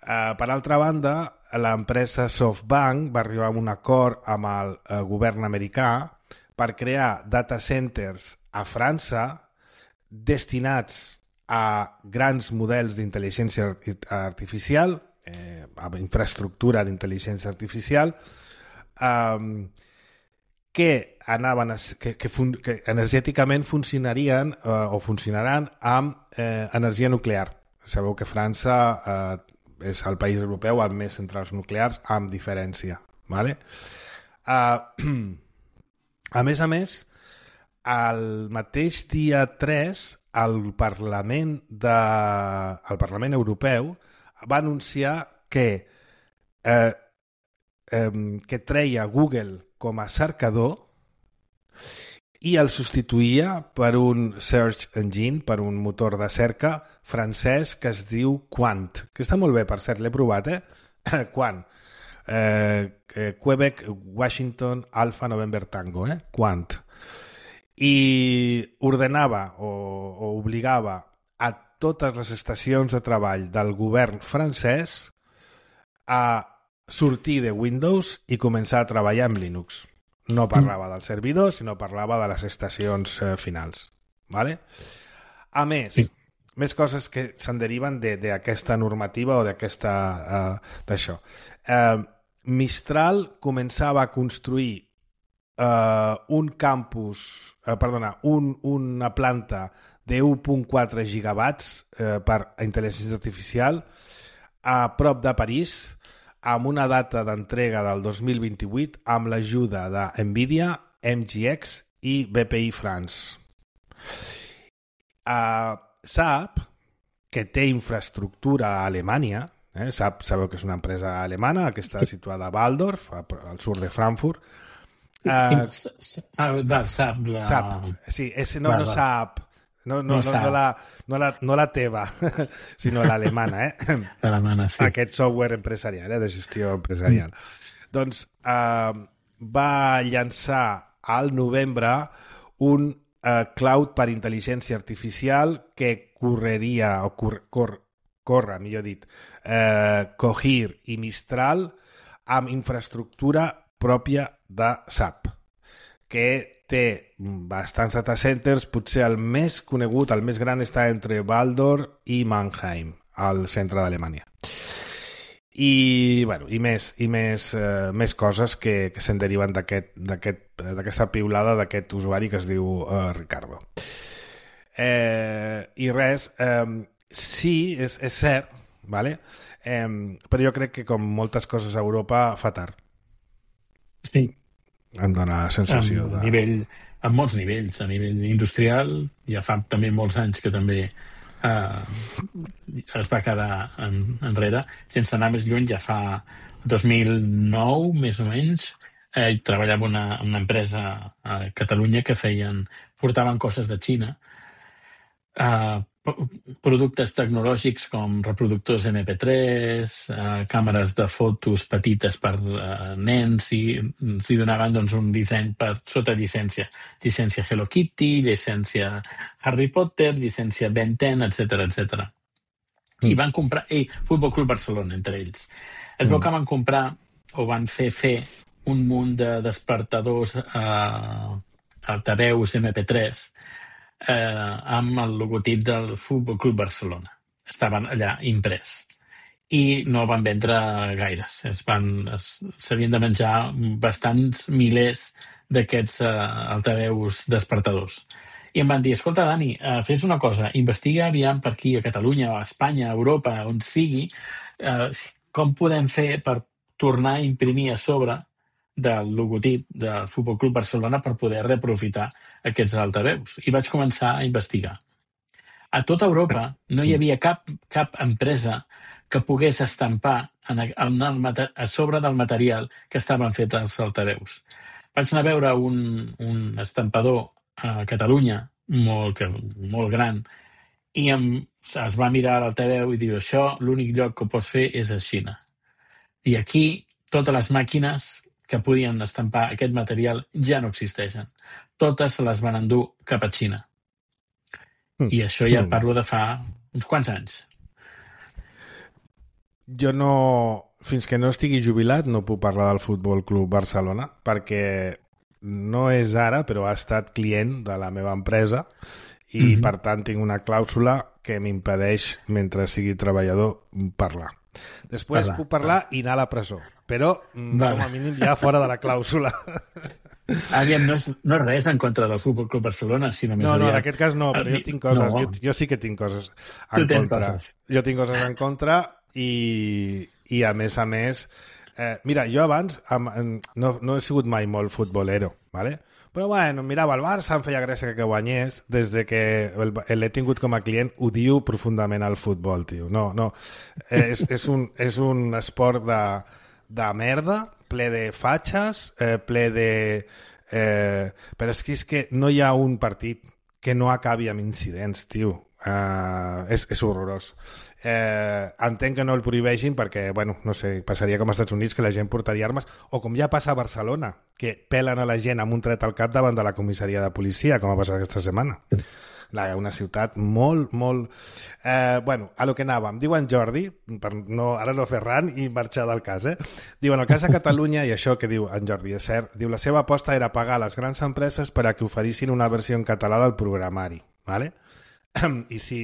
Eh, per altra banda, l'empresa SoftBank va arribar a un acord amb el eh, govern americà per crear data centers a França destinats a grans models d'intel·ligència artificial, eh, a infraestructura d'intel·ligència artificial, eh, que, anaven a, que, que, fun, que energèticament funcionarien eh, o funcionaran amb eh, energia nuclear. Sabeu que França eh, és el país europeu amb més centrals nuclears, amb diferència. Vale? Eh, a més a més, el mateix dia tres, el Parlament, de, el Parlament Europeu va anunciar que, eh, eh, que treia Google com a cercador i el substituïa per un search engine, per un motor de cerca francès que es diu Quant, que està molt bé, per cert, l'he provat, eh? Quant. Eh, Quebec, Washington, Alpha, November, Tango, eh? Quant. I ordenava o, o obligava a totes les estacions de treball del govern francès a sortir de Windows i començar a treballar amb Linux. No parlava del servidor, sinó parlava de les estacions eh, finals. Vale? A més, sí. més coses que se'n deriven d'aquesta de, normativa o d'aquesta uh, d'això. Uh, Mistral començava a construir Uh, un campus, uh, perdona, un, una planta de u coma quatre gigawatts uh, per a intel·ligència artificial a prop de París amb una data d'entrega del dos mil vint-i-vuit amb l'ajuda de Nvidia, M G X i B P I France. Uh, SAP, que té infraestructura a Alemanya, eh, SAP sabeu que és una empresa alemana que està situada a Waldorf, al sud de Frankfurt. Uh, ah, va, SAP, la... SAP, sí, ese no, va, no SAP, no, no, no, no, no, la, no, la, no la teva, sinó l'alemana, eh? L'alemana, sí. Aquest software empresarial, eh, de gestió empresarial. Mm. Doncs uh, va llançar al novembre un uh, cloud per intel·ligència artificial que correria, o cor, cor, corre, millor dit, uh, Cohere i Mistral amb infraestructura pròpia de SAP, que té bastants data centers, potser el més conegut, el més gran, està entre Waldorf i Mannheim, al centre d'Alemanya. I, bueno, i més, i més, eh, més coses que, que se'n deriven d'aquesta aquest, aquest, piulada d'aquest usuari que es diu eh, Ricardo. Eh, I res, eh, sí, és, és cert, vale? eh, però jo crec que com moltes coses a Europa fa tard. Sí. Em dóna la sensació a de... Nivell, a molts nivells, a nivell industrial, ja fa també molts anys que també eh, es va quedar en, enrere, sense anar més lluny, ja fa dos mil nou, més o menys, eh, treballava una, una empresa a Catalunya que feien, portaven coses de Xina, eh, productes tecnològics com reproductors eme pe tres, eh, càmeres de fotos petites per eh, nens, i s'hi donaven doncs, un disseny per sota llicència. Llicència Hello Kitty, llicència Harry Potter, llicència Ben ten, etcètera, etcètera. Mm. I van comprar... I Futbol Club Barcelona, entre ells. Es veu mm. que van comprar o van fer fer un munt de despertadors eh, altaveus eme pe tres Eh, amb el logotip del Futbol Club Barcelona. Estaven allà imprès. I no van vendre gaires. Es van, es, s'havien de menjar bastants milers d'aquests eh, altaveus despertadors. I em van dir, escolta, Dani, eh, fes una cosa, investiga aviam per aquí, a Catalunya, a Espanya, a Europa, on sigui, eh, com podem fer per tornar a imprimir a sobre del logotip del Futbol Club Barcelona per poder reaprofitar aquests altaveus. I vaig començar a investigar. A tota Europa no hi havia cap, cap empresa que pogués estampar en el, en el, a sobre del material que estaven fets els altaveus. Vaig anar a veure un, un estampador a Catalunya, molt, que, molt gran, i em, es va mirar al Teveu i diu, això l'únic lloc que ho pots fer és a Xina. I aquí totes les màquines que podien estampar aquest material ja no existeixen. Totes se les van endur cap a Xina. Mm. I això ja mm. parlo de fa uns quants anys. Jo no... Fins que no estigui jubilat no puc parlar del Futbol Club Barcelona perquè no és ara, però ha estat client de la meva empresa i, mm-hmm. per tant, tinc una clàusula que m'impedeix, mentre sigui treballador, parlar. Després parlar, puc parlar parlar. i anar a la presó, però vale. com a mínim ja fora de la clàusula. Aviam, no és, no és res en contra del Futbol Club Barcelona, sinó més No, no, aviat... en aquest cas no, però jo tinc coses, no. jo, jo sí que tinc coses en tu tens contra. Coses. Jo tinc coses en contra i, i a més a més... Eh, mira, jo abans am, no, no he sigut mai molt futbolero, ¿vale? Però bueno, mirava el Barça, em feia gràcia que guanyés, des de que l'he tingut com a client, odio profundament el futbol, tio. No, no, és, és, un, és un esport de, de merda, ple de fatxes, eh, ple de... Eh, però és que, és que no hi ha un partit que no acabi amb incidents, tio. Uh, és, és horrorós. Eh, entenc que no el prohibeixin perquè, bueno, no sé, passaria com als Estats Units que la gent portaria armes, o com ja passa a Barcelona, que pelen a la gent amb un tret al cap davant de la comissaria de policia, com ha passat aquesta setmana. La, una ciutat molt, molt... Eh, bueno, a lo que anàvem. Diu en Jordi, per no, ara no fer ran i marxar del cas, eh? Diu, en el cas de Catalunya, i això que diu en Jordi és cert, diu, la seva aposta era pagar a les grans empreses per a que oferissin una versió en català del programari, ¿vale? I sí,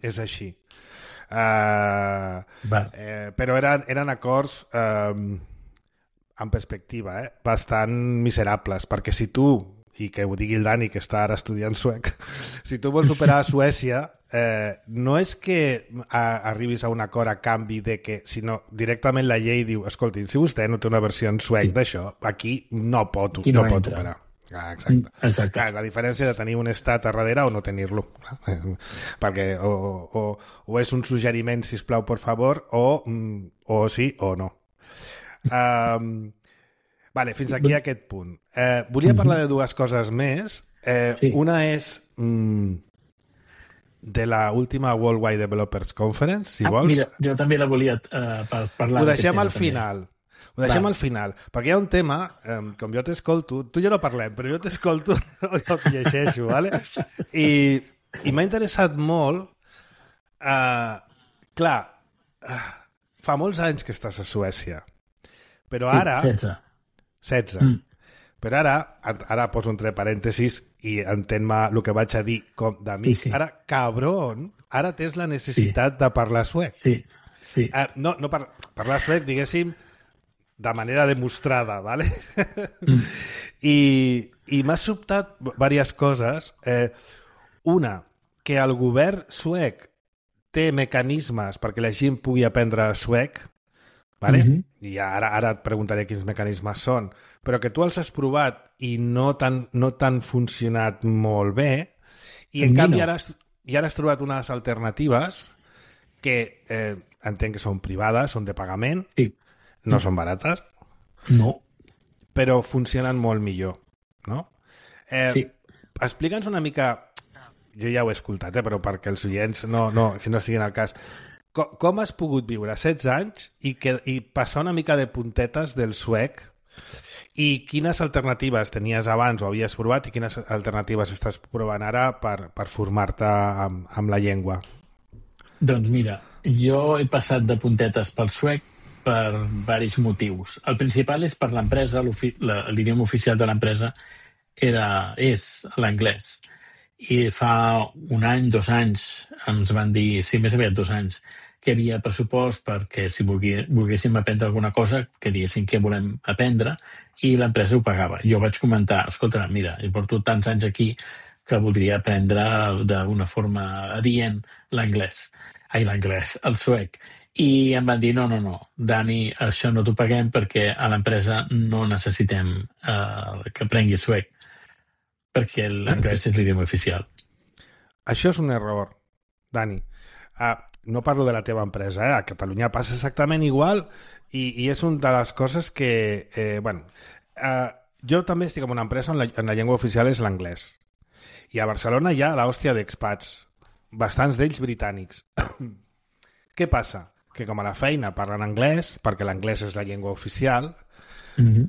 és així. Uh, vale. eh, però eren, eren acords uh, en perspectiva eh, bastant miserables, perquè si tu, i que ho digui el Dani que està ara estudiant suec, si tu vols superar a Suècia, eh, no és que a, arribis a un acord a canvi de que, sinó directament la llei diu, escolti, si vostè no té una versió en suec sí. d'això, aquí no pot, aquí no, no pot operar. Ah, exacte. exacte. Clar, la diferència de tenir un estat a darrere o no tenir-lo. Perquè o, o, o és un suggeriment, sisplau, por favor, o, o sí o no. Um, vale, fins aquí a aquest punt. Eh, volia parlar de dues coses més. Eh, sí. Una és mm, de la última Worldwide Developers Conference, si ah, vols. Mira, jo també la volia uh, parlar. Ho deixem al tema, final. També. Ho deixem Va. al final, perquè hi ha un tema, eh, com jo t'escolto, tu ja no parlem, però jo t'escolto, jo llegeixo, ¿vale? I, i m'ha interessat molt, eh, clar, eh, fa molts anys que estàs a Suècia, però ara... setze. setze. Mm. Però ara, ara poso entre parèntesis i entén-me el que vaig a dir com de mi. Sí, sí. Ara, cabron, ara tens la necessitat sí. de parlar suec. Sí, sí. Eh, no, no par parlar suec, diguéssim, de manera demostrada, ¿vale? Mm. I, i m'ha sobtat diverses coses. Eh, una, que el govern suec té mecanismes perquè la gent pugui aprendre suec, ¿vale? Mm-hmm. I ara, ara et preguntaré quins mecanismes són, però que tu els has provat i no t'han no t'han funcionat molt bé, i en canvi no. ara, has, i ara has trobat unes alternatives que eh, entenc que són privades, són de pagament, sí. No són barates. No. Però funcionen molt millor, no? Eh, sí. Explica'ns una mica... Jo ja ho he escoltat, eh, però perquè els oients no, no, si no estiguin al cas... Com, com has pogut viure setze anys i, que, i passar una mica de puntetes del suec i quines alternatives tenies abans o havies provat i quines alternatives estàs provant ara per, per formar-te amb, amb la llengua? Doncs mira, jo he passat de puntetes pel suec per diversos motius. El principal és per l'empresa, l'idioma oficial de l'empresa era és l'anglès. I fa un any, dos anys, ens van dir, sí, més aviat dos anys, que hi havia pressupost perquè si volguéssim aprendre alguna cosa, que diguéssim què volem aprendre, i l'empresa ho pagava. Jo vaig comentar, escolta, mira, he portat tants anys aquí que voldria aprendre d'una forma adient l'anglès. Ai, l'anglès, el suec. I em van dir, no, no, no, Dani, això no t'ho paguem perquè a l'empresa no necessitem uh, que aprengui suec, perquè l'anglès és l'idioma oficial. Això és un error, Dani. Uh, no parlo de la teva empresa, eh? A Catalunya passa exactament igual i, i és una de les coses que... Eh, bueno, uh, jo també estic en una empresa on la, on la llengua oficial és l'anglès. I a Barcelona hi ha l'hòstia d'expats, bastants d'ells britànics. Què passa? Que com a la feina parlen anglès, perquè l'anglès és la llengua oficial, mm-hmm.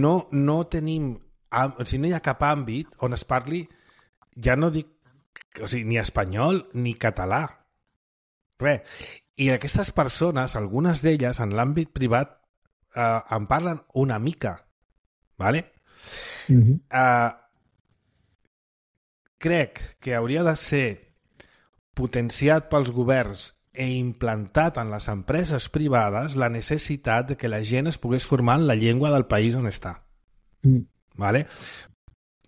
no, no tenim... O sigui, no hi ha cap àmbit on es parli, ja no dic, o sigui, ni espanyol ni català. Res. I aquestes persones, algunes d'elles, en l'àmbit privat, eh, en parlen una mica. Vale? Mm-hmm. Eh, crec que hauria de ser potenciat pels governs e implantat en les empreses privades la necessitat de que la gent es pogués formar en la llengua del país on està. Mm. Vale?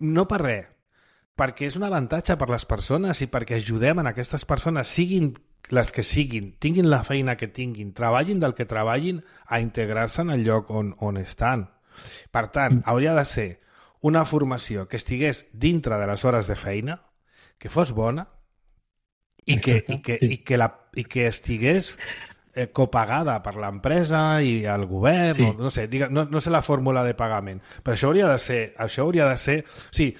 No per res, perquè és un avantatge per les persones i perquè ajudem a aquestes persones, siguin les que siguin, tinguin la feina que tinguin, treballin del que treballin, a integrar-se en el lloc on, on estan. Per tant, mm. hauria de ser una formació que estigués dintre de les hores de feina, que fos bona, i que, i, que, sí. i, que la, i que estigués eh, copagada per l'empresa i el govern, sí. no, no sé, diga, no, no sé la fórmula de pagament, però això hauria de ser, això hauria de ser, o sigui,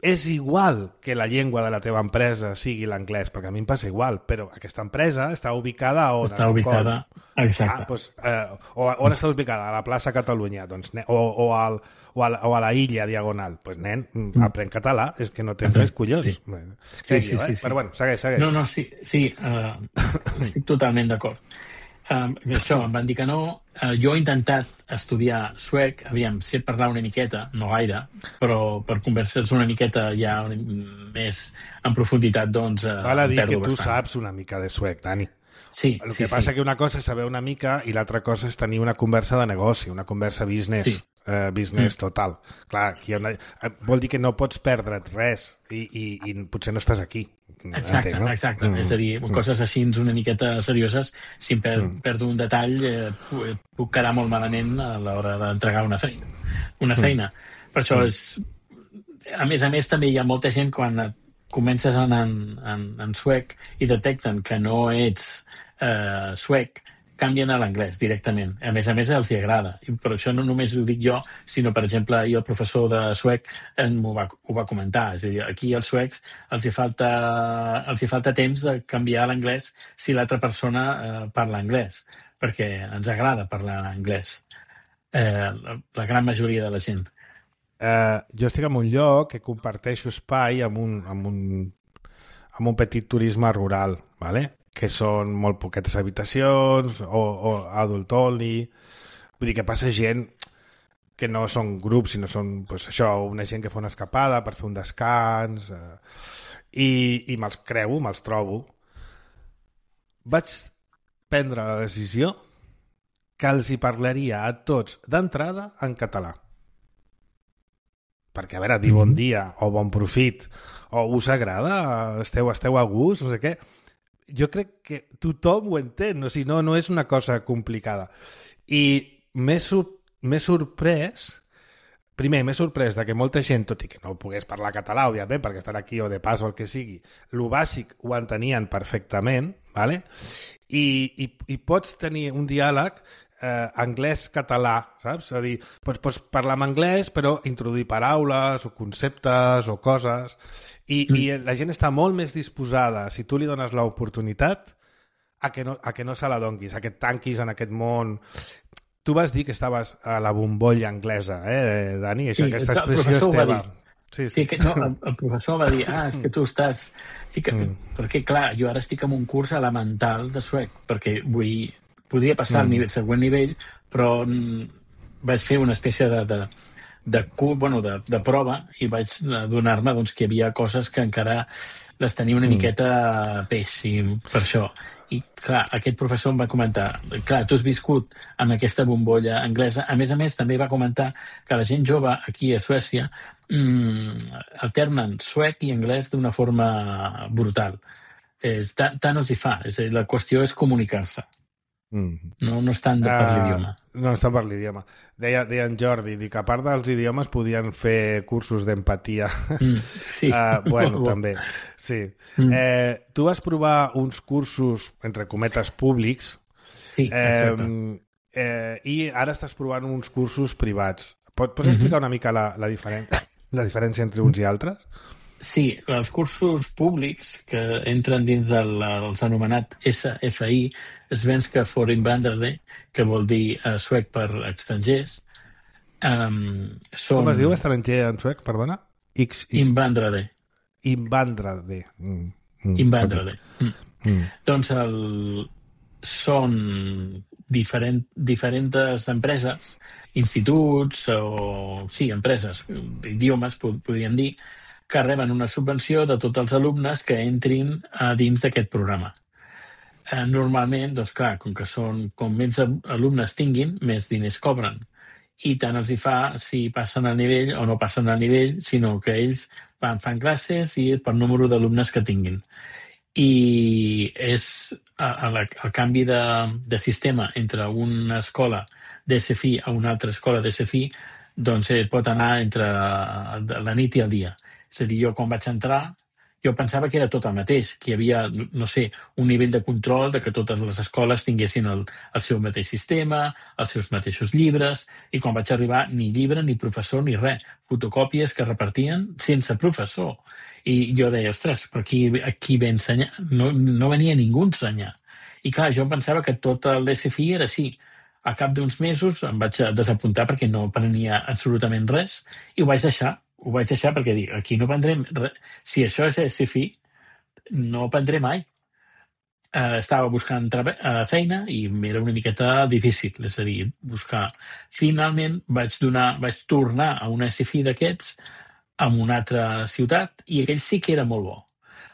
és igual que la llengua de la teva empresa sigui l'anglès, perquè a mi em passa igual, però aquesta empresa està ubicada a on? Està ubicada, exacte. Ah, doncs, eh, o, on està ubicada? A la plaça Catalunya, doncs, o, o, al, o, a la, o a la illa Diagonal. Doncs, pues, nen, mm. aprèn català, és que no tens res collons. Sí, bueno, sí, sèrio, sí, sí, eh? sí. Però bueno, segueix, segueix. No, no, sí, sí uh, estic totalment d'acord. Um, això, em van dir que no. Uh, jo he intentat estudiar suec, aviam, sé parlar una miqueta, no gaire, però per conversar una miqueta ja una, més en profunditat, doncs, uh, val a dir que tu bastant. saps una mica de suec, Dani. Sí, El sí, que passa sí. que una cosa és saber una mica i l'altra cosa és tenir una conversa de negoci, una conversa business, sí. eh, business mm. total. Clar, aquí una... vol dir que no pots perdre't res i, i, i potser no estàs aquí. Exacte, entenc, no? exacte. Mm. És a dir, coses així una miqueta serioses, si em per, mm. perdo un detall, eh, puc quedar molt malament a l'hora d'entregar una feina. Una feina. Mm. Per això és... A més a més, també hi ha molta gent quan comences en, en, en suec i detecten que no ets eh, suec, canvien a l'anglès directament. A més a més, els hi agrada. I per això no només ho dic jo, sinó, per exemple, i el professor de suec ho va, ho va comentar. És a dir, aquí als suecs els hi falta, els hi falta temps de canviar a l'anglès si l'altra persona eh, parla anglès, perquè ens agrada parlar anglès. Eh, la, la gran majoria de la gent. Uh, jo estic en un lloc que comparteixo espai amb un, amb un, amb un petit turisme rural, ¿vale? Que són molt poquetes habitacions o, o adult only. Vull dir que passa gent que no són grups, sinó són pues, això, una gent que fa una escapada per fer un descans eh, i, i me'ls creu, me'ls trobo. Vaig prendre la decisió que els hi parlaria a tots d'entrada en català. Perquè, a veure, dir bon dia o bon profit o us agrada, esteu, esteu a gust, no sé què, jo crec que tothom ho entén, o sigui, no, no és una cosa complicada. I m'he sor- m'he sorprès, primer m'he sorprès de que molta gent, tot i que no pogués parlar català, òbviament, perquè estan aquí o de pas o el que sigui, lo bàsic ho entenien perfectament, ¿vale? I, i, i pots tenir un diàleg Eh, anglès-català, saps? És a dir, pots, pots parlar en anglès però introduir paraules o conceptes o coses i, mm. i la gent està molt més disposada, si tu li dones l'oportunitat, a que no, a que no se la donguis, a que et tanquis en aquest món. Tu vas dir que estaves a la bombolla anglesa, eh, Dani? Això, sí, aquesta el expressió és teva. Sí, sí. Sí, que, no, el, el professor va dir, ah, és que tu estàs... Sí que, mm. Perquè, clar, jo ara estic en un curs elemental de suec, perquè vull... Podria passar mm. al nivell, següent nivell, però mm, vaig fer una espècie de, de, de, bueno, de, de prova i vaig adonar-me doncs, que hi havia coses que encara les tenia una mm. miqueta peix, i per això. I, clar, aquest professor em va comentar, clar, tu has viscut amb aquesta bombolla anglesa. A més a més, també va comentar que la gent jove aquí a Suècia mm, alternen suec i anglès d'una forma brutal. És, tant, tant els hi fa. És a dir, la qüestió és comunicar-se. Mm. No, no estan de per uh, l'idioma. No estan per l'idioma. Deia, deia en Jordi, dic, a part dels idiomes podien fer cursos d'empatia. Mm, sí. uh, bueno, també. Sí. Mm. Eh, tu vas provar uns cursos, entre cometes, públics. Sí, exacte. Eh, eh, I ara estàs provant uns cursos privats. Pots, pots explicar mm-hmm. una mica la, la, diferen la diferència entre uns i altres? Sí, els cursos públics que entren dins del, dels anomenat S F I, Svenska for Invandrare, que vol dir uh, suec per estrangers, um, són... Com es diu estranger en suec, perdona? X, I... Invandrare. Invandrare. Mm. Mm. Invandrare. Mm. Mm. Doncs el, són diferent, diferents empreses, instituts o... Sí, empreses, idiomes, podríem dir, que reben una subvenció de tots els alumnes que entrin a dins d'aquest programa. Eh, normalment, doncs clar, com que són, com més alumnes tinguin, més diners cobren. I tant els hi fa si passen al nivell o no passen al nivell, sinó que ells van, fan classes i per número d'alumnes que tinguin. I és a, a la, el canvi de, de sistema entre una escola d'S F I a una altra escola d'S F I, doncs eh, pot anar entre la nit i el dia. És a dir, jo quan vaig entrar, jo pensava que era tot el mateix, que hi havia, no sé, un nivell de control de que totes les escoles tinguessin el, el seu mateix sistema, els seus mateixos llibres, i quan vaig arribar ni llibre, ni professor, ni res. Fotocòpies que repartien sense professor. I jo deia, ostres, però aquí, aquí ve ensenyar? No, no venia ningú a ensenyar. I clar, jo pensava que tot l'S F I era així. A cap d'uns mesos em vaig desapuntar perquè no aprenia absolutament res i ho vaig deixar. Ho vaig deixar perquè dic, aquí no aprendrem res. Si això és S F I, no aprendré mai. Uh, estava buscant uh, feina i m'era una miqueta difícil, és a dir, buscar. Finalment vaig, donar, vaig tornar a un S F I d'aquests en una altra ciutat i aquell sí que era molt bo.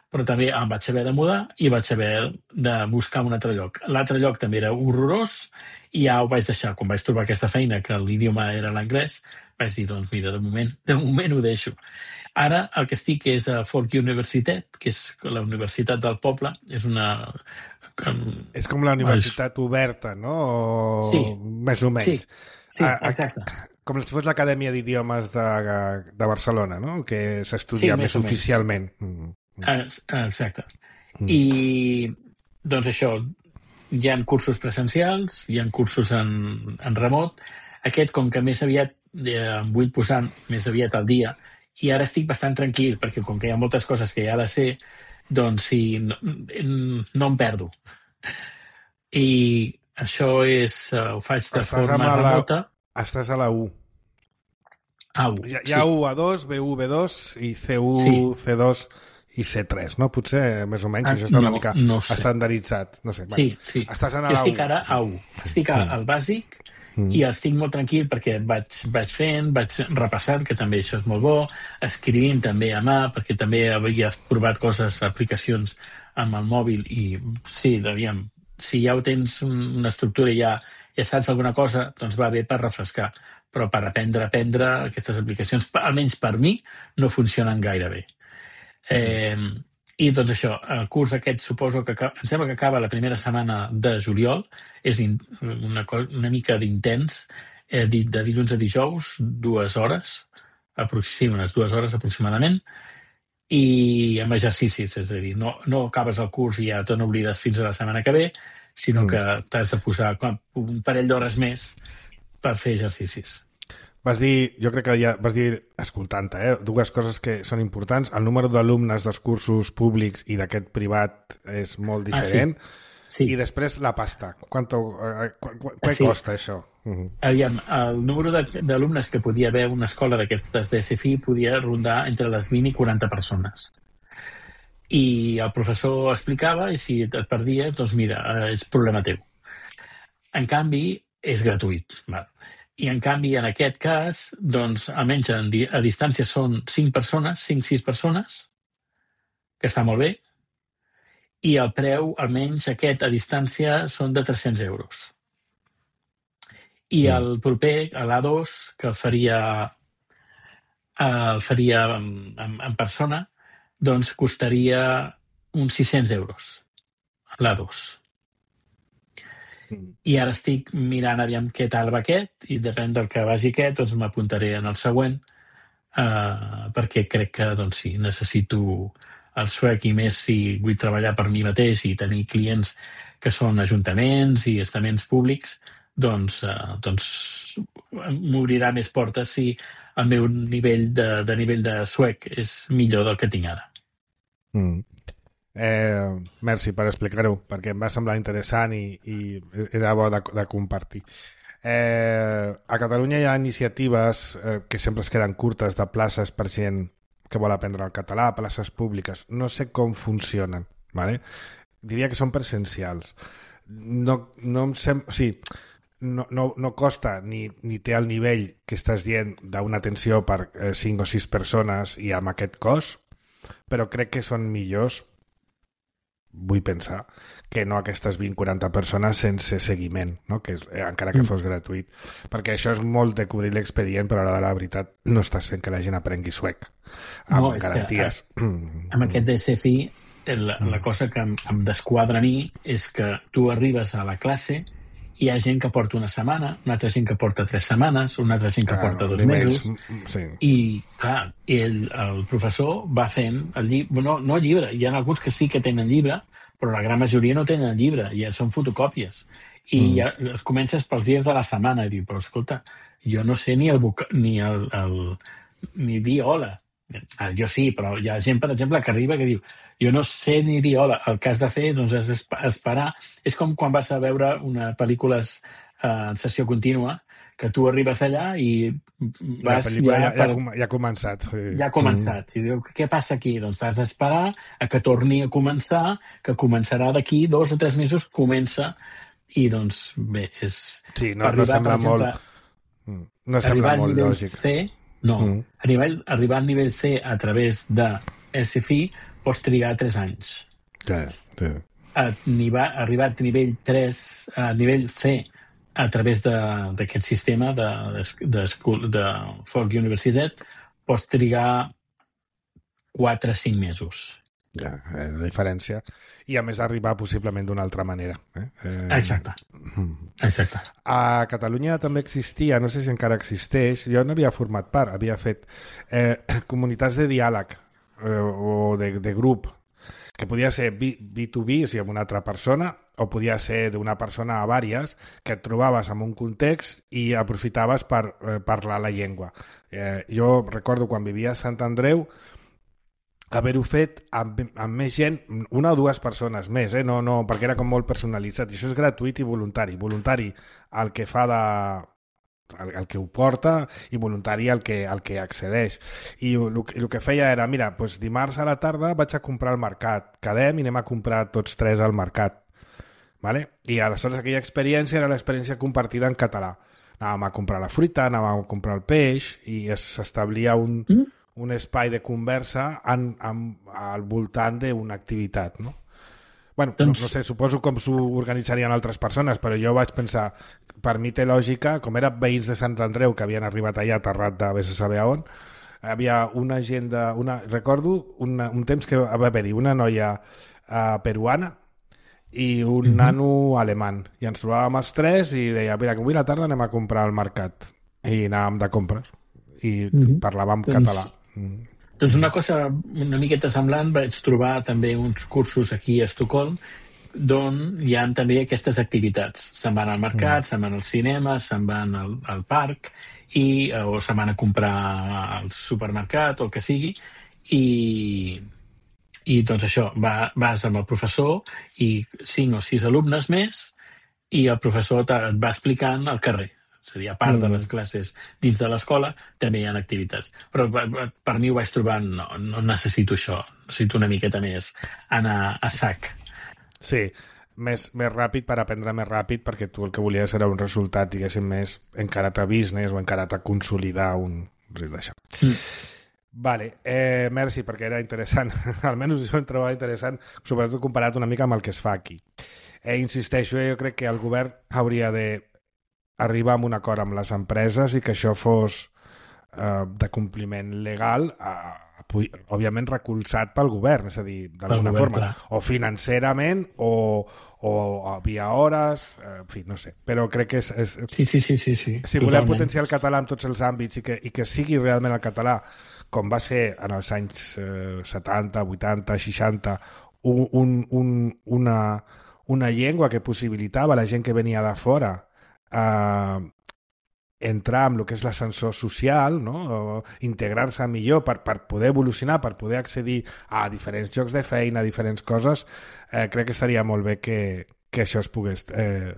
Però també em vaig haver de mudar i vaig haver de buscar un altre lloc. L'altre lloc també era horrorós i ja ho vaig deixar. Quan vaig trobar aquesta feina, que l'idioma era l'anglès, vaig dir, doncs mira, de moment, de moment ho deixo. Ara el que estic és a Folk Universitat, que és la universitat del poble. És una... És com la universitat oberta, no? O... Sí. Més o menys. Sí, sí, exacte. Com si fos l'Acadèmia d'Idiomes de, de Barcelona, no? Que s'estudia sí, més, més oficialment. Mm. Exacte. Mm. I doncs això, hi ha cursos presencials, hi ha cursos en, en remot. Aquest, com que més aviat eh, em vull posar més aviat al dia, i ara estic bastant tranquil, perquè com que hi ha moltes coses que ja les sé, doncs sí, no, no em perdo. I això és, uh, ho faig de estàs forma remota. La, estàs a la U. A U, hi ha, hi ha sí. U A dos, B U B dos i C U, sí. C dos i C tres, no? Potser, més o menys, ah, això està una no, mica no sé. estandarditzat. No sé, sí, bueno, sí. Estàs en jo estic ara a U. Estic al mm. bàsic mm. i estic molt tranquil perquè vaig, vaig fent, vaig repassant, que també això és molt bo, escrivint també a mà, perquè també havia provat coses, aplicacions amb el mòbil i sí, aviam, si ja ho tens una estructura i ja, ja saps alguna cosa, doncs va bé per refrescar. Però per aprendre a aprendre aquestes aplicacions, almenys per mi, no funcionen gaire bé. Eh, I doncs això, el curs aquest suposo que em sembla que acaba la primera setmana de juliol, és una, una mica d'intens, eh, de dilluns a dijous, dues hores, sí, unes dues hores aproximadament, i amb exercicis, és a dir, no, no acabes el curs i ja te n'oblides fins a la setmana que ve, sinó mm. que t'has de posar un parell d'hores més per fer exercicis. Vas dir, jo crec que ja vas dir, escoltant-te, eh, dues coses que són importants. El número d'alumnes dels cursos públics i d'aquest privat és molt diferent. Ah, sí. Sí. I després la pasta. Quanto, eh, qu qu què sí. costa això? Uh -huh. Aviam, el número d'alumnes que podia haver una escola d'aquestes d'S F I podia rondar entre les vint i quaranta persones. I el professor explicava i si et perdies, doncs mira, és problema teu. En canvi, és gratuït. Val. I, en canvi, en aquest cas, doncs, almenys a distància són cinc persones, cinc, sis persones, que està molt bé, i el preu, almenys aquest a distància, són de tres-cents euros. I el proper, l'A dos, que el faria, el faria en, en, en persona, doncs costaria uns sis-cents euros, l'A dos. I ara estic mirant aviam què tal va aquest i depèn del que vagi aquest, doncs m'apuntaré en el següent eh, perquè crec que doncs sí, necessito el suec i més si vull treballar per mi mateix i tenir clients que són ajuntaments i estaments públics, doncs, eh, doncs m'obrirà més portes si el meu nivell de, de nivell de suec és millor del que tinc ara. Mm. Eh, merci per explicar-ho, perquè em va semblar interessant i, i era bo de, de compartir. Eh, a Catalunya hi ha iniciatives eh, que sempre es queden curtes de places per gent que vol aprendre el català, places públiques. No sé com funcionen, ¿vale? Diria que són presencials. No, no em sem... O sigui, no, no, no costa ni, ni té el nivell que estàs dient d'una atenció per eh, cinc o sis persones i amb aquest cost, però crec que són millors, vull pensar, que no aquestes vint a quaranta persones sense seguiment, no? Que és, eh, encara que fos gratuït. Perquè això és molt de cobrir l'expedient, però a l'hora de la veritat no estàs fent que la gent aprengui suec amb no, garanties. Que, amb aquest D S F I, la, la cosa que em, em desquadra a mi és que tu arribes a la classe, hi ha gent que porta una setmana, una altra gent que porta tres setmanes, una altra gent que Clar, porta dos nivells, mesos, sí. I clar, el, el professor va fent el llibre, no, no llibre, hi ha alguns que sí que tenen llibre, però la gran majoria no tenen llibre, ja són fotocòpies. I mm. ja es comences pels dies de la setmana i diu, però escolta, jo no sé ni el, ni el, el ni dir hola. Ah, jo sí, però hi ha gent, per exemple, que arriba que diu jo no sé ni dir hola. El que has de fer doncs, és esperar. És com quan vas a veure una pel·lícula en sessió contínua, que tu arribes allà i vas... La pel·lícula ja, ja, per... ja, ja ha començat. Sí. Ja ha començat. Mm. I diu, què passa aquí? Doncs t'has d'esperar a que torni a començar, que començarà d'aquí dos o tres mesos, comença. I doncs, bé, és... Sí, no, arribar, no sembla exemple, molt... No sembla molt lògic. C, no, mm. arribar, arribar al nivell C a través de S F I pots trigar tres anys. Sí, sí. Arribar, arribar a nivell tres, a nivell C a través d'aquest sistema de, de, de, de Folk Universitat pots trigar quatre o cinc mesos. Ja, eh, la diferència. I a més arribar possiblement d'una altra manera. Eh? Eh... Exacte. Exacte. A Catalunya també existia, no sé si encara existeix, jo n'havia format part, havia fet eh, comunitats de diàleg eh, o de, de grup, que podia ser B dos B, o sigui, amb una altra persona, o podia ser d'una persona a vàries, que et trobaves en un context i aprofitaves per eh, parlar la llengua. Eh, jo recordo quan vivia a Sant Andreu haver-ho fet amb, amb més gent, una o dues persones més, eh? no, no, perquè era com molt personalitzat. I això és gratuït i voluntari. Voluntari el que fa de... El, el que ho porta i voluntari el que, el que accedeix. I el, el que feia era, mira, doncs dimarts a la tarda vaig a comprar al mercat, quedem i anem a comprar tots tres al mercat. Vale? I aleshores aquella experiència era l'experiència compartida en català. Anàvem a comprar la fruita, anàvem a comprar el peix i s'establia un, mm. un espai de conversa en, en, al voltant d'una activitat, no? Bueno, doncs... no, no sé, suposo com s'ho organitzarien altres persones, però jo vaig pensar, per mi té lògica, com eren veïns de Sant Andreu que havien arribat allà aterrat de vés a saber on, havia una gent de... Una, recordo una, un temps que va haver-hi una noia uh, peruana i un mm-hmm. nano alemany. I ens trobàvem els tres i deia, mira, que avui a la tarda anem a comprar al mercat. I anàvem de compres. I mm-hmm. parlàvem doncs... català. Mm. Doncs una cosa una miqueta semblant, vaig trobar també uns cursos aquí a Estocolm d'on hi ha també aquestes activitats. Se'n van al mercat, mm. se'n van al cinema, se'n van al, al parc i, o se'n van a comprar al supermercat o el que sigui i, i doncs això, va, vas amb el professor i cinc o sis alumnes més i el professor et va explicant al carrer. És a dir, a part mm. de les classes dins de l'escola, també hi ha activitats. Però per mi ho vaig trobar, no, no necessito això, necessito una miqueta més anar a sac. Sí, més, més ràpid per aprendre més ràpid, perquè tu el que volies era un resultat, diguéssim, més encarat a business o encarat a consolidar un... d'això. Mm. Vale, eh, merci, perquè era interessant. Almenys jo em trobava interessant, sobretot comparat una mica amb el que es fa aquí. Eh, insisteixo, jo crec que el govern hauria de arribar a un acord amb les empreses i que això fos eh, de compliment legal, eh, òbviament recolzat pel govern, és a dir, d'alguna forma, clar. O financerament o, o via hores, eh, en fi, no sé, però crec que és... és sí, sí, sí, sí, sí. Si volem potenciar el català en tots els àmbits i que, i que sigui realment el català, com va ser en els anys eh, setanta, vuitanta, seixanta, un, un, un, una, una llengua que possibilitava a la gent que venia de fora Uh, entrar amb el que és l'ascensor social, no? O integrar-se millor per, per poder evolucionar, per poder accedir a diferents llocs de feina, a diferents coses, eh, crec que estaria molt bé que, que això es pogués eh,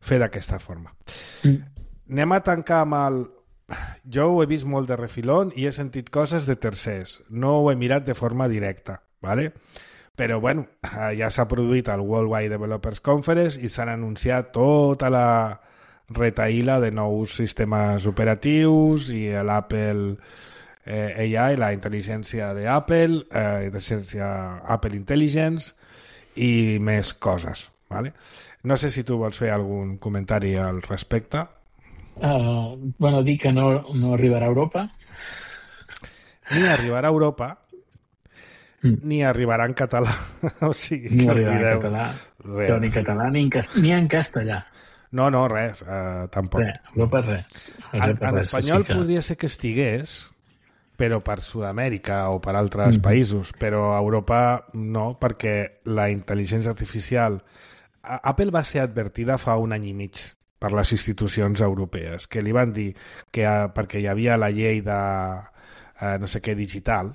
fer d'aquesta forma. Mm. Anem a tancar amb el... Jo ho he vist molt de refilón i he sentit coses de tercers. No ho he mirat de forma directa, ¿vale? Però, bueno, ja s'ha produït el Worldwide Developers Conference i s'han anunciat tota la retaïla de nous sistemes operatius i l'Apple eh, A I, la intel·ligència d'Apple, eh, intel·ligència Apple Intelligence i més coses, ¿vale? No sé si tu vols fer algun comentari al respecte. Uh, bueno, dir que no, no arribarà a Europa. Ni arribarà a Europa, mm. ni arribarà en català. O sigui, ni que arribarà en català, res. Ni en català ni en, cast... ni en castellà. No, no, res, uh, tampoc. Res, Europa res. En, en res, espanyol que... podria ser que estigués, però per Sud-amèrica o per altres mm. països, però a Europa no, perquè la intel·ligència artificial... Apple va ser advertida fa un any i mig per les institucions europees, que li van dir que perquè hi havia la llei de eh, no sé què digital,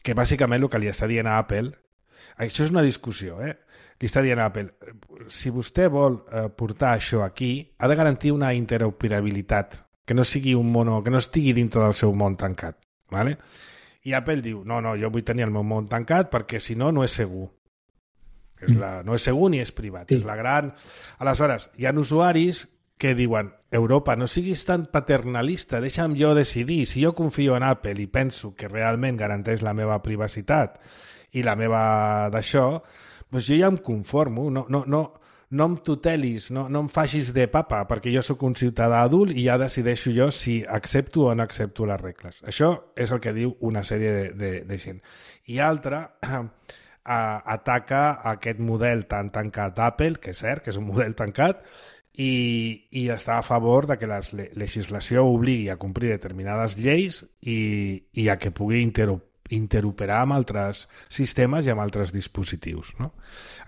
que bàsicament el que li està dient a Apple, això és una discussió, eh? Li està dient a Apple, si vostè vol eh, portar això aquí, ha de garantir una interoperabilitat, que no sigui un mono, que no estigui dintre del seu món tancat, ¿vale? I Apple diu, no, no, jo vull tenir el meu món tancat perquè si no, no és segur. És la, no és segur ni és privat. Sí. És la gran... Aleshores, hi ha usuaris que diuen Europa, no siguis tan paternalista, deixa'm jo decidir. Si jo confio en Apple i penso que realment garanteix la meva privacitat i la meva d'això, doncs jo ja em conformo. No, no, no, no em tutelis, no, no em facis de papa, perquè jo sóc un ciutadà adult i ja decideixo jo si accepto o no accepto les regles. Això és el que diu una sèrie de, de, de gent. I altra... Uh, ataca aquest model tan tancat d'Apple, que és cert que és un model tancat, i, i està a favor de que la legislació obligui a complir determinades lleis i, i a que pugui intero, interoperar amb altres sistemes i amb altres dispositius, no?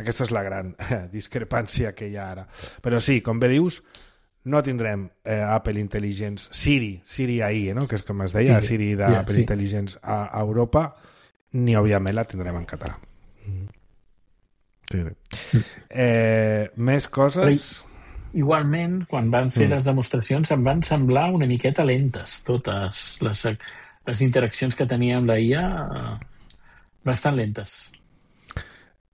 Aquesta és la gran eh, discrepància que hi ha ara. Però sí, com bé dius, no tindrem eh, Apple Intelligence, Siri, Siri A I, eh, no? Que és com es deia, sí, Siri d'Apple yeah, sí. Intelligence a, a Europa, ni òbviament la tindrem en català. Sí, sí. Eh, més coses... Però, igualment, quan van fer mm. les demostracions em van semblar una miqueta lentes, totes les, les interaccions que tenia amb la I A, bastant lentes.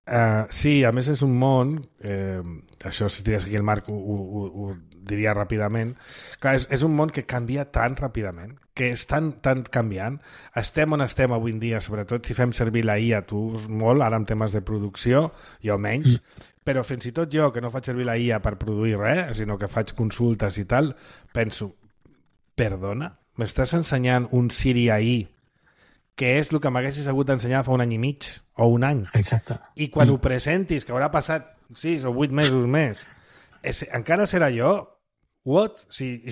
Uh, sí, a més és un món, eh, això si estigués aquí el Marc ho, ho, ho diria ràpidament, clar, és, és un món que canvia tan ràpidament, que és tan, tan canviant. Estem on estem avui en dia, sobretot si fem servir la I A, tu molt, ara en temes de producció, jo menys, mm. però fins i tot jo, que no faig servir la I A per produir res, sinó que faig consultes i tal, penso, perdona, m'estàs ensenyant un Siri A I que és el que m'haguessis hagut d'ensenyar fa un any i mig o un any. Exacte. I quan mm. ho presentis, que haurà passat sis o vuit mesos més, és, encara serà jo? What? Si,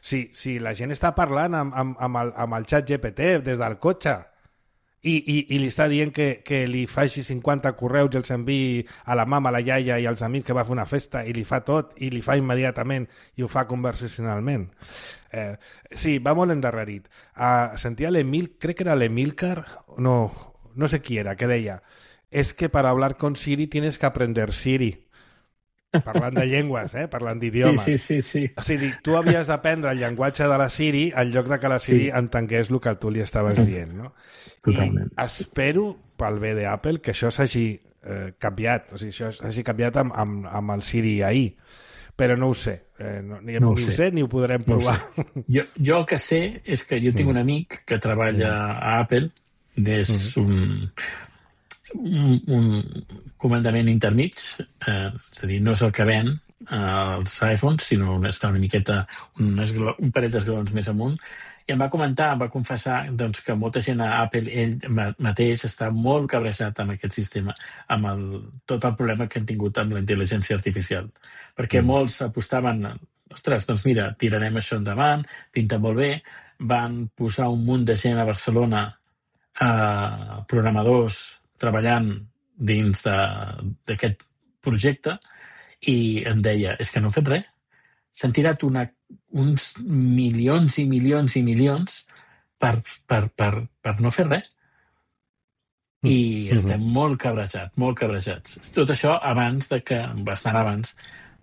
si, si la gent està parlant amb, amb, amb, el, amb el xat G P T des del cotxe i, i, i li està dient que, que li faci cinquanta correus i els enviï a la mama, a la iaia i als amics que va fer una festa i li fa tot i li fa immediatament i ho fa conversacionalment. Eh, sí, va molt endarrerit. Uh, sentia l'Emil, crec que era l'Emilcar, no, no sé qui era, que deia, és que per hablar con Siri tienes que aprender Siri. Parlant de llengües, eh? Parlant d'idiomes. Sí, sí, sí, sí. O sigui, tu havies d'aprendre el llenguatge de la Siri en lloc de que la Siri sí. entengués el que tu li estaves dient, no? Totalment. I espero, pel bé d'Apple, que això s'hagi eh, canviat, o sigui, això s'hagi canviat amb, amb, amb el Siri A I. Però no ho sé. Eh, no, ni no ho, sé. ho sé ni ho podrem provar. No jo, jo el que sé és que jo tinc un amic que treballa a Apple, és mm. un... Un, un comandament intermig, eh, és a dir, no és el que ven eh, els iPhones, sinó està una miqueta, un, un parell d'esglaons més amunt, i em va comentar, em va confessar doncs, que molta gent a Apple, ell mateix, està molt cabrejat amb aquest sistema, amb el, tot el problema que han tingut amb la intel·ligència artificial, perquè mm. molts apostaven, ostres, doncs mira, tirarem això endavant, pinta molt bé, van posar un munt de gent a Barcelona, eh, programadors, treballant dins d'aquest projecte i em deia, és que no hem fet res. s'han tirat una, uns milions i milions i milions per, per, per, per no fer res. I mm-hmm. estem molt cabrejats, molt cabrejats. Tot això abans de que, bastant abans,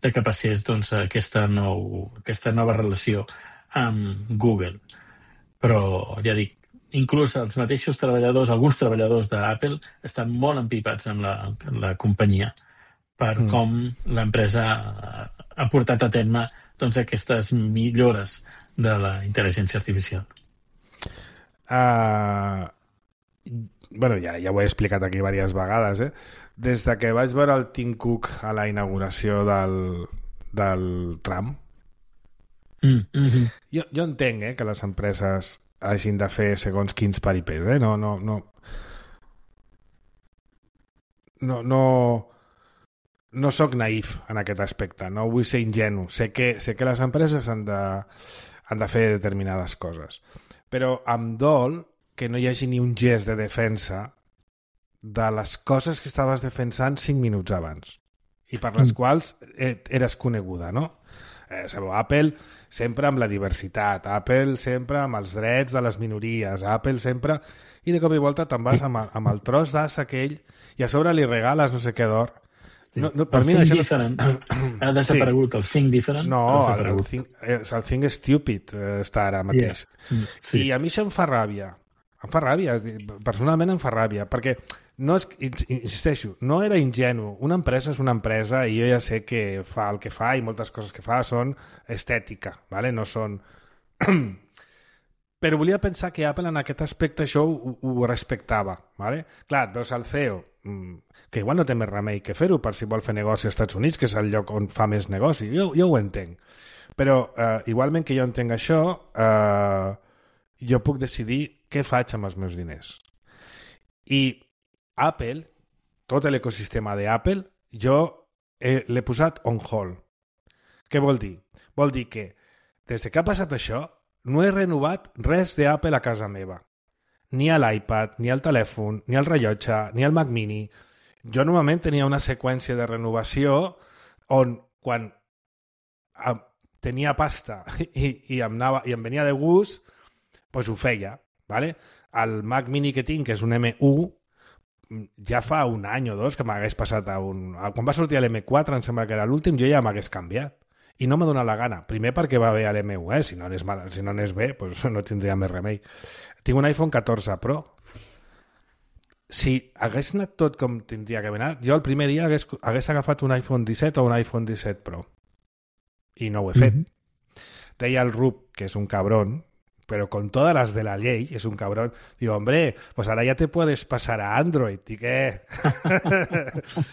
de que passés doncs, aquesta, nou, aquesta nova relació amb Google. Però, ja dic, inclús els mateixos treballadors, alguns treballadors d'Apple, estan molt empipats amb la, amb la companyia per mm. com l'empresa ha, ha portat a terme doncs, aquestes millores de la intel·ligència artificial. Uh, bueno, ja, ja ho he explicat aquí diverses vegades. Eh? Des de que vaig veure el Tim Cook a la inauguració del, del tram, mm, mm-hmm. jo, jo entenc eh, que les empreses hagin de fer segons quins paripés, eh? No, no, no. No, no, no soc naïf en aquest aspecte, no vull ser ingenu. Sé que, sé que les empreses han de, han de fer determinades coses. Però em dol que no hi hagi ni un gest de defensa de les coses que estaves defensant cinc minuts abans i per les mm. quals eres coneguda, no? Eh, sabeu, Apple sempre amb la diversitat, Apple sempre amb els drets de les minories, Apple sempre... I de cop i volta te'n vas amb, amb el tros d'as aquell i a sobre li regales no sé què d'or. No, no, per el mi això... different ha desaparegut, sí. El think different no, el, el, think, el think stupid està ara mateix. Yeah. Sí. I a mi això em fa ràbia. Em fa ràbia, personalment em fa ràbia, perquè no és, insisteixo, no era ingenu. Una empresa és una empresa i jo ja sé que fa el que fa i moltes coses que fa són estètica, ¿vale? No són... Però volia pensar que Apple en aquest aspecte això ho, ho respectava, ¿vale? Clar, veus el C E O, que igual no té més remei que fer-ho per si vol fer negoci als Estats Units, que és el lloc on fa més negoci. Jo, jo ho entenc. Però eh, igualment que jo entenc això, eh, jo puc decidir què faig amb els meus diners. I Apple, tot l'ecosistema d'Apple, jo eh, l'he posat on hold. Què vol dir? Vol dir que des que ha passat això no he renovat res d'Apple a casa meva. Ni a l'iPad, ni al telèfon, ni al rellotge, ni al Mac Mini. Jo normalment tenia una seqüència de renovació on quan tenia pasta i, i, em, anava, i em venia de gust, doncs ho feia. ¿Vale? El Mac Mini que tinc, que és un eme u, ja fa un any o dos que m'hagués passat a un... Quan va sortir l'eme quatre, em sembla que era l'últim, jo ja m'hagués canviat. I no m'ha donat la gana. Primer perquè va bé a l'eme u, eh? Si no anés, mal, si no anés bé, pues no tindria més remei. Tinc un iPhone catorze Pro. Si hagués anat tot com tindria que haver anat, jo el primer dia hagués, hagués agafat un iPhone disset o un iPhone disset Pro. I no ho he fet. Mm-hmm. Deia el Rub, que és un cabrón, pero con todas las de la ley, es un cabrón. Digo, hombre, pues ahora ya te puedes pasar a Android. ¿Y qué?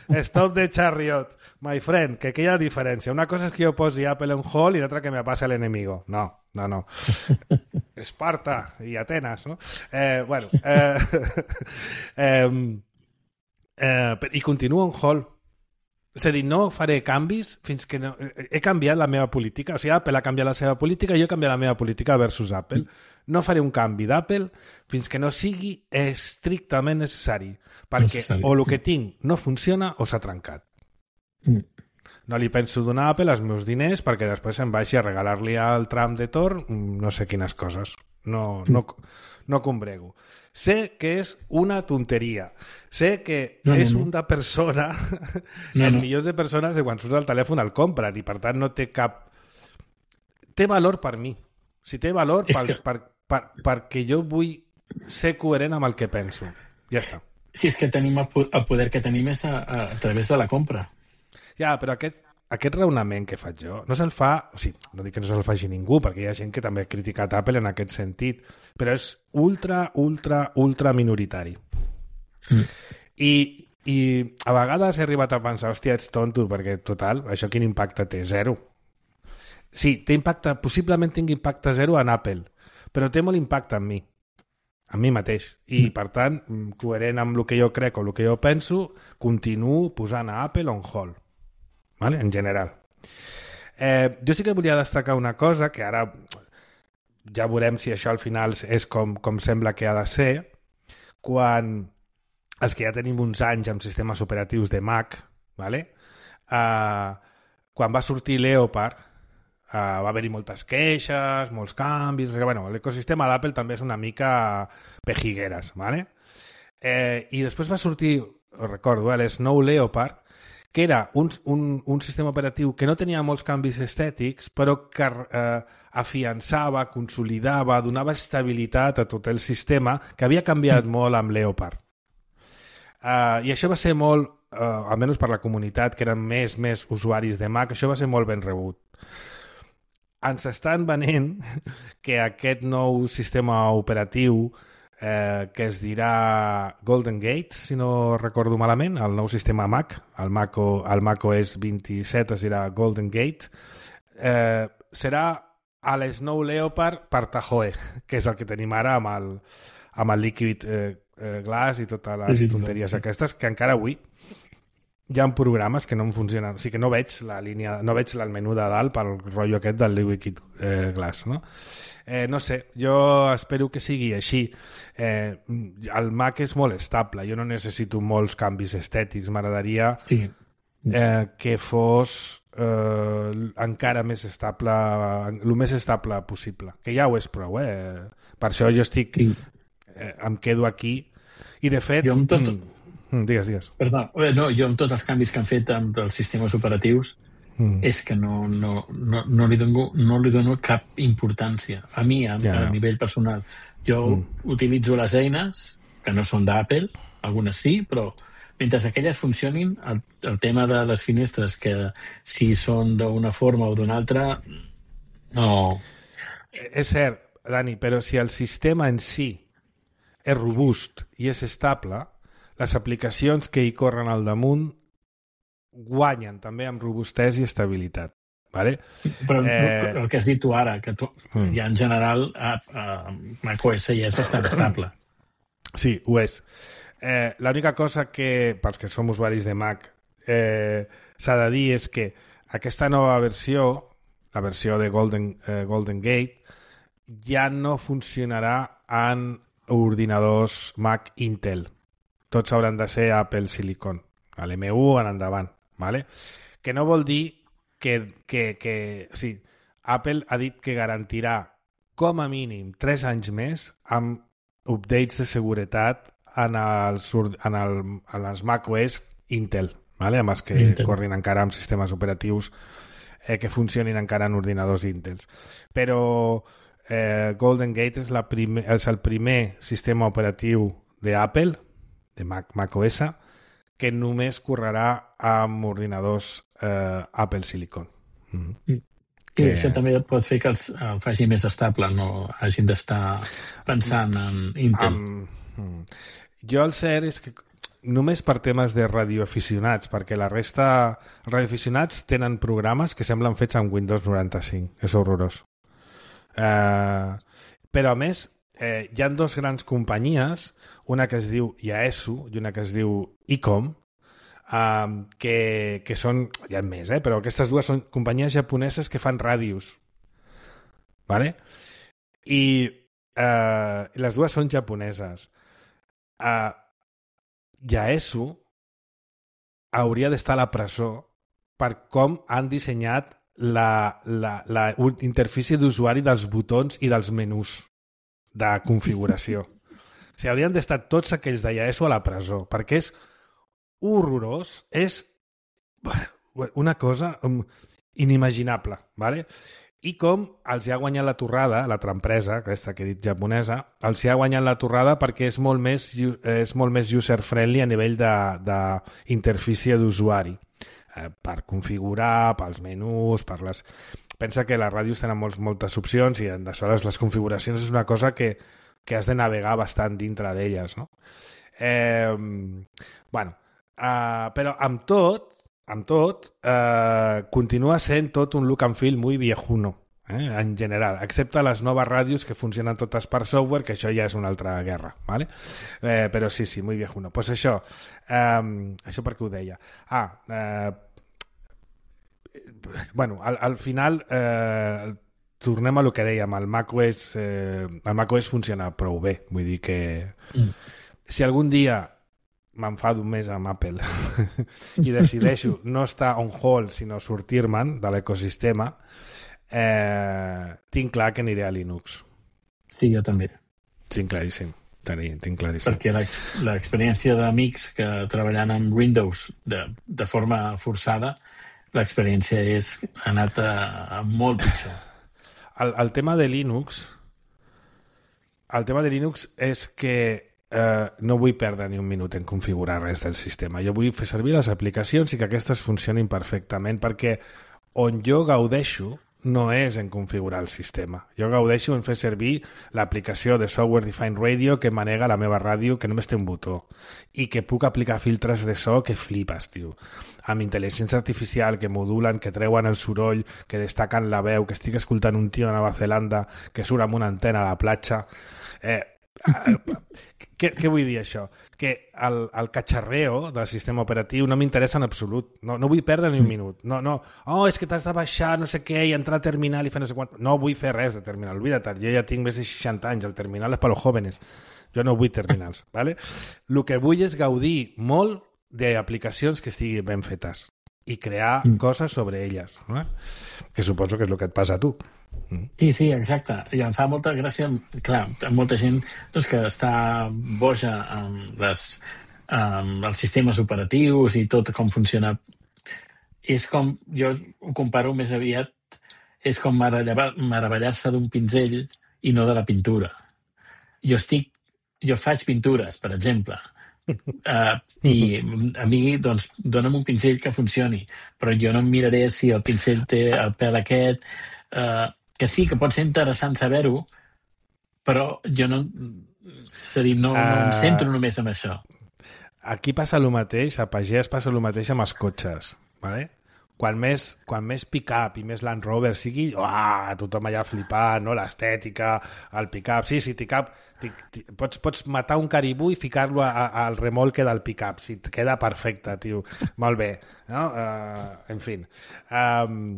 Stop the chariot, my friend, que aquí hi ha diferència. Una cosa és que jo posi Apple en hold i l'altra que me passa l'enemigo. No, no, no. Esparta i Atenas, no? Eh, bueno, eh, eh, eh, i continuo en hold. És a dir, no faré canvis fins que no... He canviat la meva política. O sigui, Apple ha canviat la seva política i jo he canviat la meva política versus Apple. No faré un canvi d'Apple fins que no sigui estrictament necessari. Perquè necessari. O el que tinc no funciona o s'ha trencat. Mm. No li penso donar a Apple els meus diners perquè després em vagi a regalar-li al tram de Tor no sé quines coses. No, no, no combrego. Sé que és una tonteria. Sé que no, és no, no. una persona, no, el no. milions de persones que quan surt el telèfon el compren i per tant no té cap... Té valor per mi. Si té valor per, que... per, per, perquè jo vull ser coherent amb el que penso. Ja està. Si és que tenim el poder que tenim és a, a, a través de la compra. Ja, però aquest, aquest raonament que faig jo no se'l fa... O sigui, no dic que no se'l faci ningú, perquè hi ha gent que també ha criticat Apple en aquest sentit, però és ultra, ultra, ultra minoritari. Mm. I, I a vegades he arribat a pensar, hòstia, ets tonto, perquè, total, això quin impacte té? Zero. Sí, té impacte, possiblement tingui impacte zero en Apple, però té molt impacte en mi, en mi mateix. I, mm. per tant, coherent amb el que jo crec o el que jo penso, continuo posant a Apple on hold. Vale? En general. Eh, jo sí que volia destacar una cosa, que ara ja veurem si això al final és com, com sembla que ha de ser, quan els que ja tenim uns anys amb sistemes operatius de Mac, vale? eh, quan va sortir Leopard, Uh, va haver-hi moltes queixes, molts canvis... O sigui, bueno, l'ecosistema d'Apple també és una mica pejigueres, ¿vale? Eh, I després va sortir, ho recordo, eh, l'Snow Leopard, que era un, un, un sistema operatiu que no tenia molts canvis estètics, però que eh, afiançava, consolidava, donava estabilitat a tot el sistema, que havia canviat molt amb Leopard. Uh, I això va ser molt, uh, almenys per la comunitat, que eren més, més usuaris de Mac, això va ser molt ben rebut. Ens estan venent que aquest nou sistema operatiu eh, que es dirà Golden Gate, si no recordo malament, el nou sistema Mac, el Mac, o, el Mac O S vint-i-set es dirà Golden Gate, eh, serà a l'Snow Leopard per Tahoe, que és el que tenim ara amb el, amb el Liquid eh, eh, Glass i totes les tonteries sí. aquestes, que encara avui hi ha programes que no em funcionen, o sigui que no veig la línia, no veig el menú de dalt pel rotllo aquest del Liquid eh, Glass, no? Eh, no sé, jo espero que sigui així. Eh, el Mac és molt estable, jo no necessito molts canvis estètics, m'agradaria sí. eh, que fos eh, encara més estable, el més estable possible, que ja ho és prou, eh? Per això jo estic, sí. eh, em quedo aquí, i de fet... Jo amb tot... Mm, digues, digues. Perdó, no, jo amb tots els canvis que han fet amb els sistemes operatius mm. és que no, no, no, no, li dono, no li dono cap importància. A mi, a, ja, a no. nivell personal. Jo mm. utilitzo les eines, que no són d'Apple, algunes sí, però mentre aquelles funcionin, el, el tema de les finestres, que si són d'una forma o d'una altra, no... És cert, Dani, però si el sistema en si és robust i és estable, les aplicacions que hi corren al damunt guanyen també amb robustesa i estabilitat. Vale? Però eh... el que has dit tu ara, que tu, mm. ja en general a, a macOS ja és bastant estable. Sí, ho és. Eh, l'única cosa que, pels que som usuaris de Mac, eh, s'ha de dir és que aquesta nova versió, la versió de Golden, eh, Golden Gate, ja no funcionarà en ordinadors Mac Intel. Tots hauran de ser Apple Silicon, a l'M u en endavant, ¿vale? Que no vol dir que... que, que o sigui, Apple ha dit que garantirà com a mínim tres anys més amb updates de seguretat en els, en el, en els macOS Intel, ¿vale? Amb els que Intel. Corrin encara amb sistemes operatius eh, que funcionin encara en ordinadors Intel. Però eh, Golden Gate és, la primer, és el primer sistema operatiu d'Apple, de Mac, macOS, que només correrà amb ordinadors eh, Apple Silicon. Mm-hmm. Mm. Que... I això també pot fer que els el faci més estable, no hagin d'estar pensant en Intel. Um, jo el cert és que només per temes de radioaficionats, perquè la resta... Els radioaficionats tenen programes que semblen fets amb Windows noranta-cinc. És horrorós. Uh, però a més, eh, hi ha dues grans companyies, una que es diu Yaesu i una que es diu Icom, um, que, que són, hi ha més, eh, però aquestes dues són companyies japoneses que fan ràdios. ¿Vale? I eh, les dues són japoneses. Uh, Yaesu hauria d'estar a la presó per com han dissenyat la, la, la interfície d'usuari dels botons i dels menús de configuració. O sigui, haurien d'estar tots aquells de Yaesu a la presó, perquè és horrorós, és una cosa inimaginable, ¿vale? I com els hi ha guanyat la torrada, l'altra empresa, aquesta que he dit japonesa, els hi ha guanyat la torrada perquè és molt més, és molt més user-friendly a nivell d'interfície d'usuari, eh, per configurar, pels menús, per les... Pensa que les ràdios tenen molts, moltes opcions i aleshores les configuracions és una cosa que, que has de navegar bastant dintre d'elles, no? Eh, bueno, eh, però amb tot, amb tot, eh, continua sent tot un look and feel muy viejuno, eh, en general, excepte les noves ràdios que funcionen totes per software, que això ja és una altra guerra, ¿vale? Eh, però sí, sí, muy viejuno. Pues això, eh, això per què ho deia? Ah, eh, bueno, al, al final eh, tornem a lo que dèiem, el macOS eh, el macOS funciona prou bé, vull dir que mm. si algun dia m'enfado més amb Apple i decideixo no estar on hold sinó sortir-me'n de l'ecosistema, eh, tinc clar que aniré a Linux. Sí, jo també. Tinc claríssim. Tinc claríssim. Perquè l'experiència d'amics que treballant amb Windows de, de forma forçada, l'experiència és ha anat a, a molt pitjor. El, el tema de Linux el tema de Linux és que eh, no vull perdre ni un minut en configurar res del sistema. Jo vull fer servir les aplicacions i que aquestes funcionin perfectament, perquè on jo gaudeixo no és en configurar el sistema. Jo gaudeixo en fer servir l'aplicació de Software Defined Radio que manega la meva ràdio, que només té un botó, i que puc aplicar filtres de so que flipes, tio. Amb intel·ligència artificial, que modulen, que treuen el soroll, que destaquen la veu, que estic escoltant un tio a Nova Zelanda que surt amb una antena a la platja. Eh, què, què vull dir això? Que el, el catxarreo del sistema operatiu no m'interessa en absolut. No, no vull perdre ni un minut. No, no. Oh, és que t'has de baixar no sé què i entrar al terminal i fer no sé quant. No vull fer res de terminal. Oblida't, jo ja tinc més de seixanta anys. El terminal és per als jóvenes. Jo no vull terminals. ¿Vale? El que vull és gaudir molt d'aplicacions que estiguin ben fetes i crear mm. coses sobre elles. ¿No? Que suposo que és el que et passa a tu. Sí, sí, exacte. I em fa molta gràcia, clar, molta gent doncs, que està boja amb, les, amb els sistemes operatius i tot com funciona. És com, jo ho comparo més aviat, és com meravellar-se d'un pinzell i no de la pintura. Jo estic, jo faig pintures, per exemple, uh, i a mi, doncs, dona'm un pinzell que funcioni, però jo no em miraré si el pinzell té el pèl aquest, uh, que sí, que pot ser interessant saber-ho, però jo no... És a dir, no, uh, no em centro només en això. Aquí passa el mateix, a Pagès passa el mateix amb els cotxes, ¿vale? Quan més, quan més pick-up i més Land Rover sigui, uah, tothom allà flipant, no? L'estètica, el pick-up... Sí, sí, pick-up... Pots, pots matar un caribú i ficar-lo al remolque del pick-up. Si et queda perfecte, tio. Molt bé. No? Uh, en fi... Um,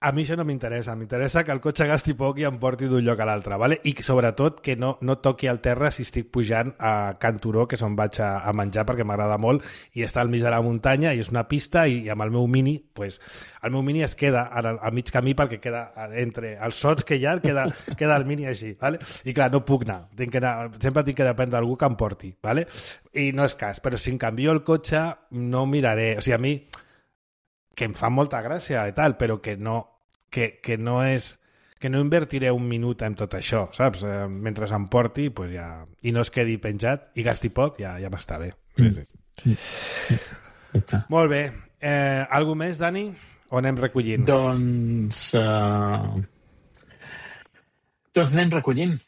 A mi això no m'interessa, m'interessa que el cotxe gasti poc i em porti d'un lloc a l'altre, ¿vale? I sobretot que no, no toqui al terra si estic pujant a Can Turó, que és on vaig a, a menjar perquè m'agrada molt, i està al mig de la muntanya i és una pista, i, i amb el meu Mini, pues, el meu Mini es queda a, a mig camí perquè queda entre els sots que hi ha, queda, queda el Mini així, ¿vale? I clar, no puc anar, tinc que anar sempre tinc que dependre d'algú que em porti, ¿vale? I no és cas, però si em canvio el cotxe no miraré, o sigui, a mi que em fa molta gràcia i tal, però que no, que, que no és que no invertiré un minut en tot això, saps? Eh, mentre em porti, pues ja, i no es quedi penjat i gasti poc, ja, ja m'està bé. Mm. Sí, sí. Mm. Molt bé. Eh, algú més, Dani? O anem recollint? Doncs... Uh... Doncs anem recollint.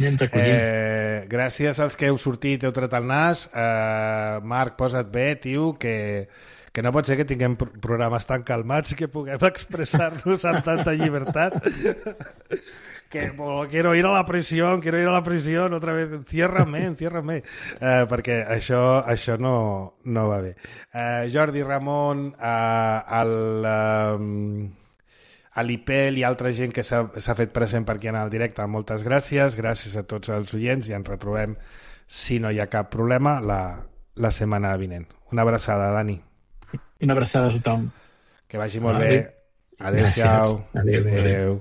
Anem recollint. Eh, gràcies als que heu sortit i heu tret el nas. Eh, Marc, posa't bé, tio, que... que no pot ser que tinguem programes tan calmats i que puguem expressar-nos amb tanta llibertat. Que oh, quiero ir a la prisión, quiero ir a la prisión otra vez, enciérrame, enciérrame. Uh, perquè això, això no, no va bé. Uh, Jordi, Ramon, uh, el, uh, a l'I P E L i altra gent que s'ha fet present per aquí en el directe, moltes gràcies. Gràcies a tots els oients i ens retrobem, si no hi ha cap problema, la, la setmana vinent. Una abraçada, Dani. Una abraçada a tothom. Que vagi molt bé. Adéu-siau. Adéu. Adéu. Adéu.